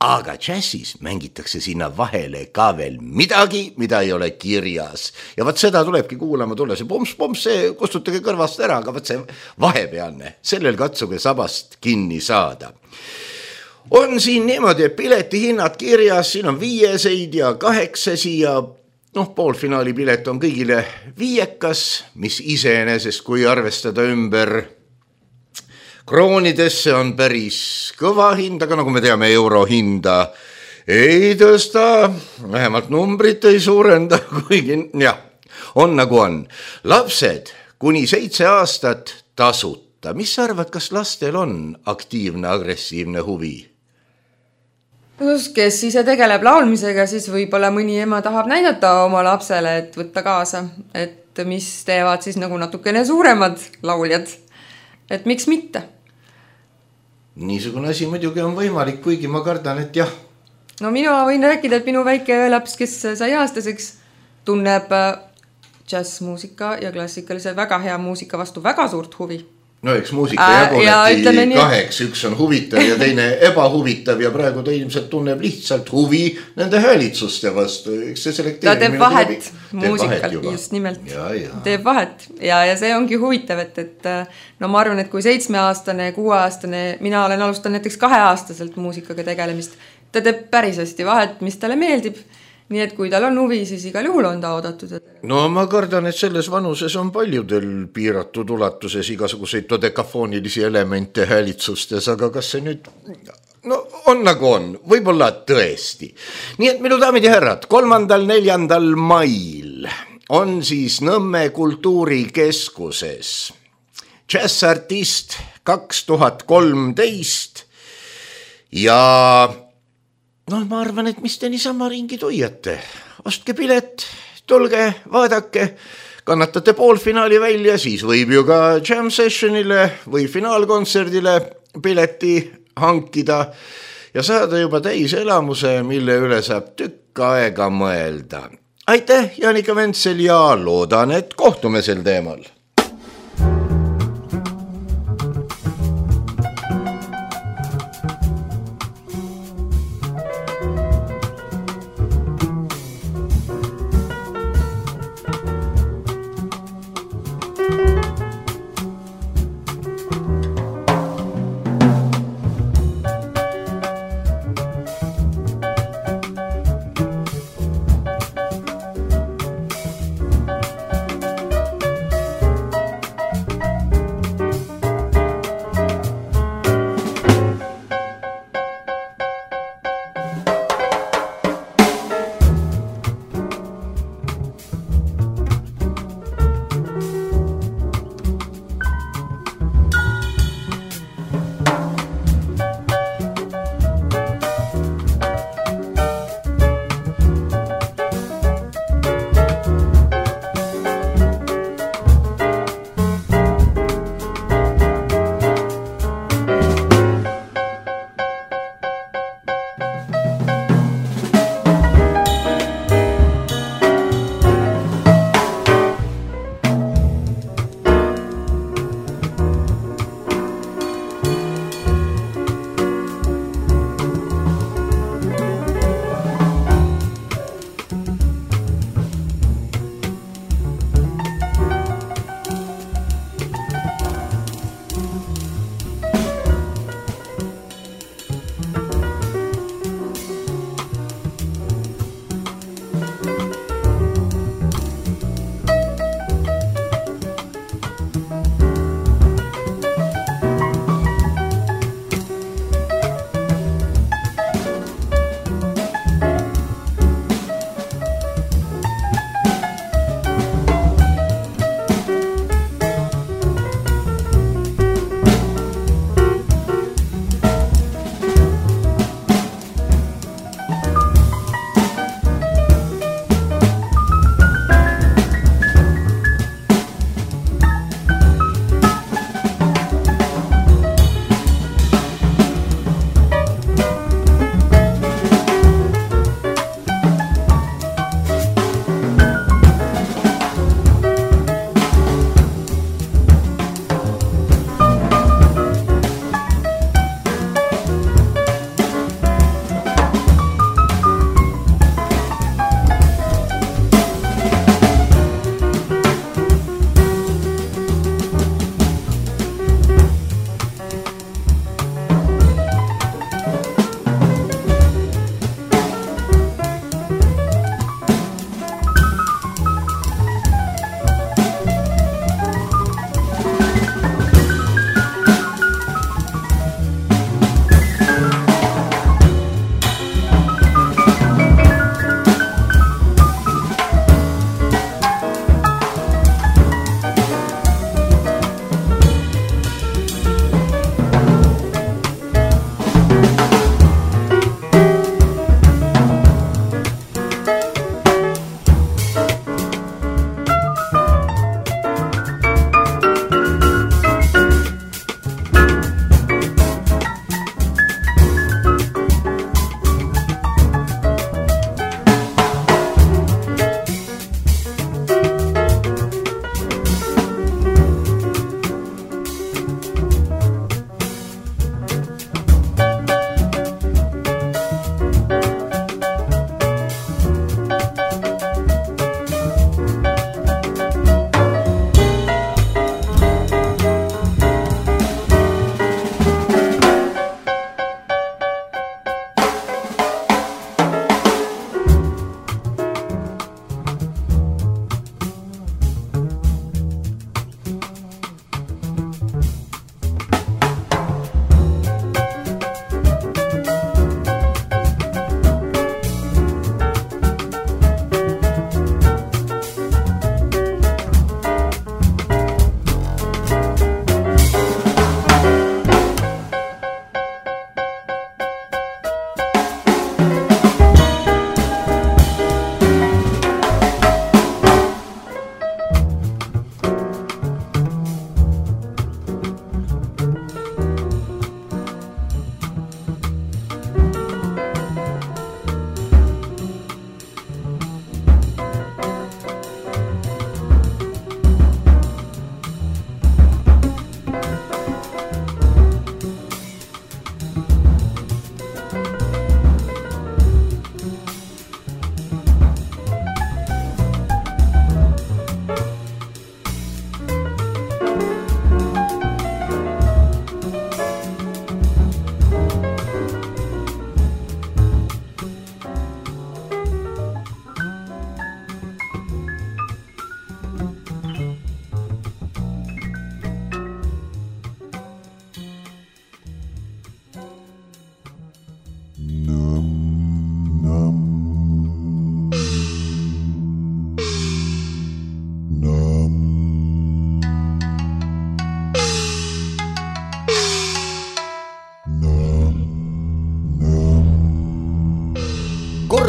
aga džässis mängitakse sinna vahele ka veel midagi, mida ei ole kirjas. Ja vaat seda tulebki kuulama tulla, see pumps, pumps, see kustutage kõrvast ära, aga vaat see vahepealne, sellel katsuge sabast kinni saada. On siin niimoodi, et piletihinnad kirjas, siin on viieseid ja kaheksasi ja noh, poolfinaali pilet on kõigile viiekas, mis iseenesest, kui arvestada ümber kroonidesse, on päris kõva hind, aga nagu me teame, euro hinda ei tõsta, vähemalt numbrit ei suurenda, kuigi jah, on nagu on. Lapsed kuni seitse aastat tasuta. Mis sa arvad, kas lastel on aktiivne, agressiivne huvi? Kes ise tegeleb laulmisega, siis võib-olla mõni ema tahab näidata oma lapsele, et võtta kaasa, et mis teevad siis nagu natukene suuremad lauljad. Et miks mitte? Niisugune asi muidugi on võimalik, kuigi ma kardan, et jah. No mina võin rääkida, et minu väike laps, kes sai aastaseks, tunneb jazzmuusika ja klassikalise väga hea muusika vastu väga suurt huvi. No eks muusika jaguneti kaheks, üks on huvitav ja teine ebahuvitav ja praegu ta ilmselt tunneb lihtsalt huvi nende häälitsuste vastu. Ta teeb vahet muusikal, just nimelt. Ja, ja. Teeb vahet ja, ja see ongi huvitav, et, et no ma arvan, et kui seitsmeaastane, kuueaastane, mina olen alustanud näiteks kaheaastaselt muusikaga tegelemist, ta teeb päris hästi vahet, mis talle meeldib. Nii et kui tal on huvi, siis igal juhul on ta oodatud. No ma kardan, et selles vanuses on paljudel piiratud ulatuses igasuguseid dodekafoonilisi elemente häälitsustes, aga kas see nüüd no on nagu on, võib-olla tõesti. Nii et minu daamid ja härrad, kolmandal, neljandal mail on siis Nõmme kultuurikeskuses. Džässartist kaks tuhat kolmteist ja noh, ma arvan, et mis te niisama ringi tuiate. Ostke pilet, tulge, vaadake, kannatate poolfinaali välja, siis võib ju ka jam sessionile või finaalkontserdile pileti hankida ja saada juba täis elamuse, mille üle saab tükk aega mõelda. Aitäh, Jaanika Ventsel, ja loodan, et kohtume sel teemal.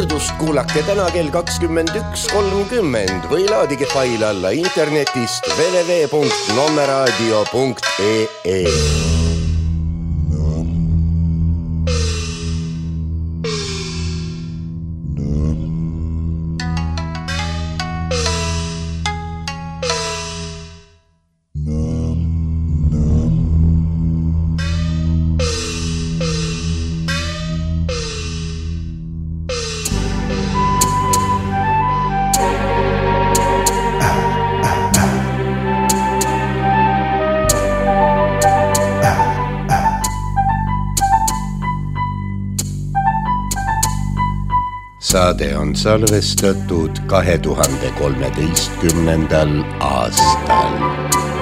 kordust kuulake täna kell kakskümmend üks kolmkümmend või laadige fail alla internetist w w w punkt nommeradio punkt e e. Saade on salvestatud kahe tuhande kolmeteistkümnendal aastal.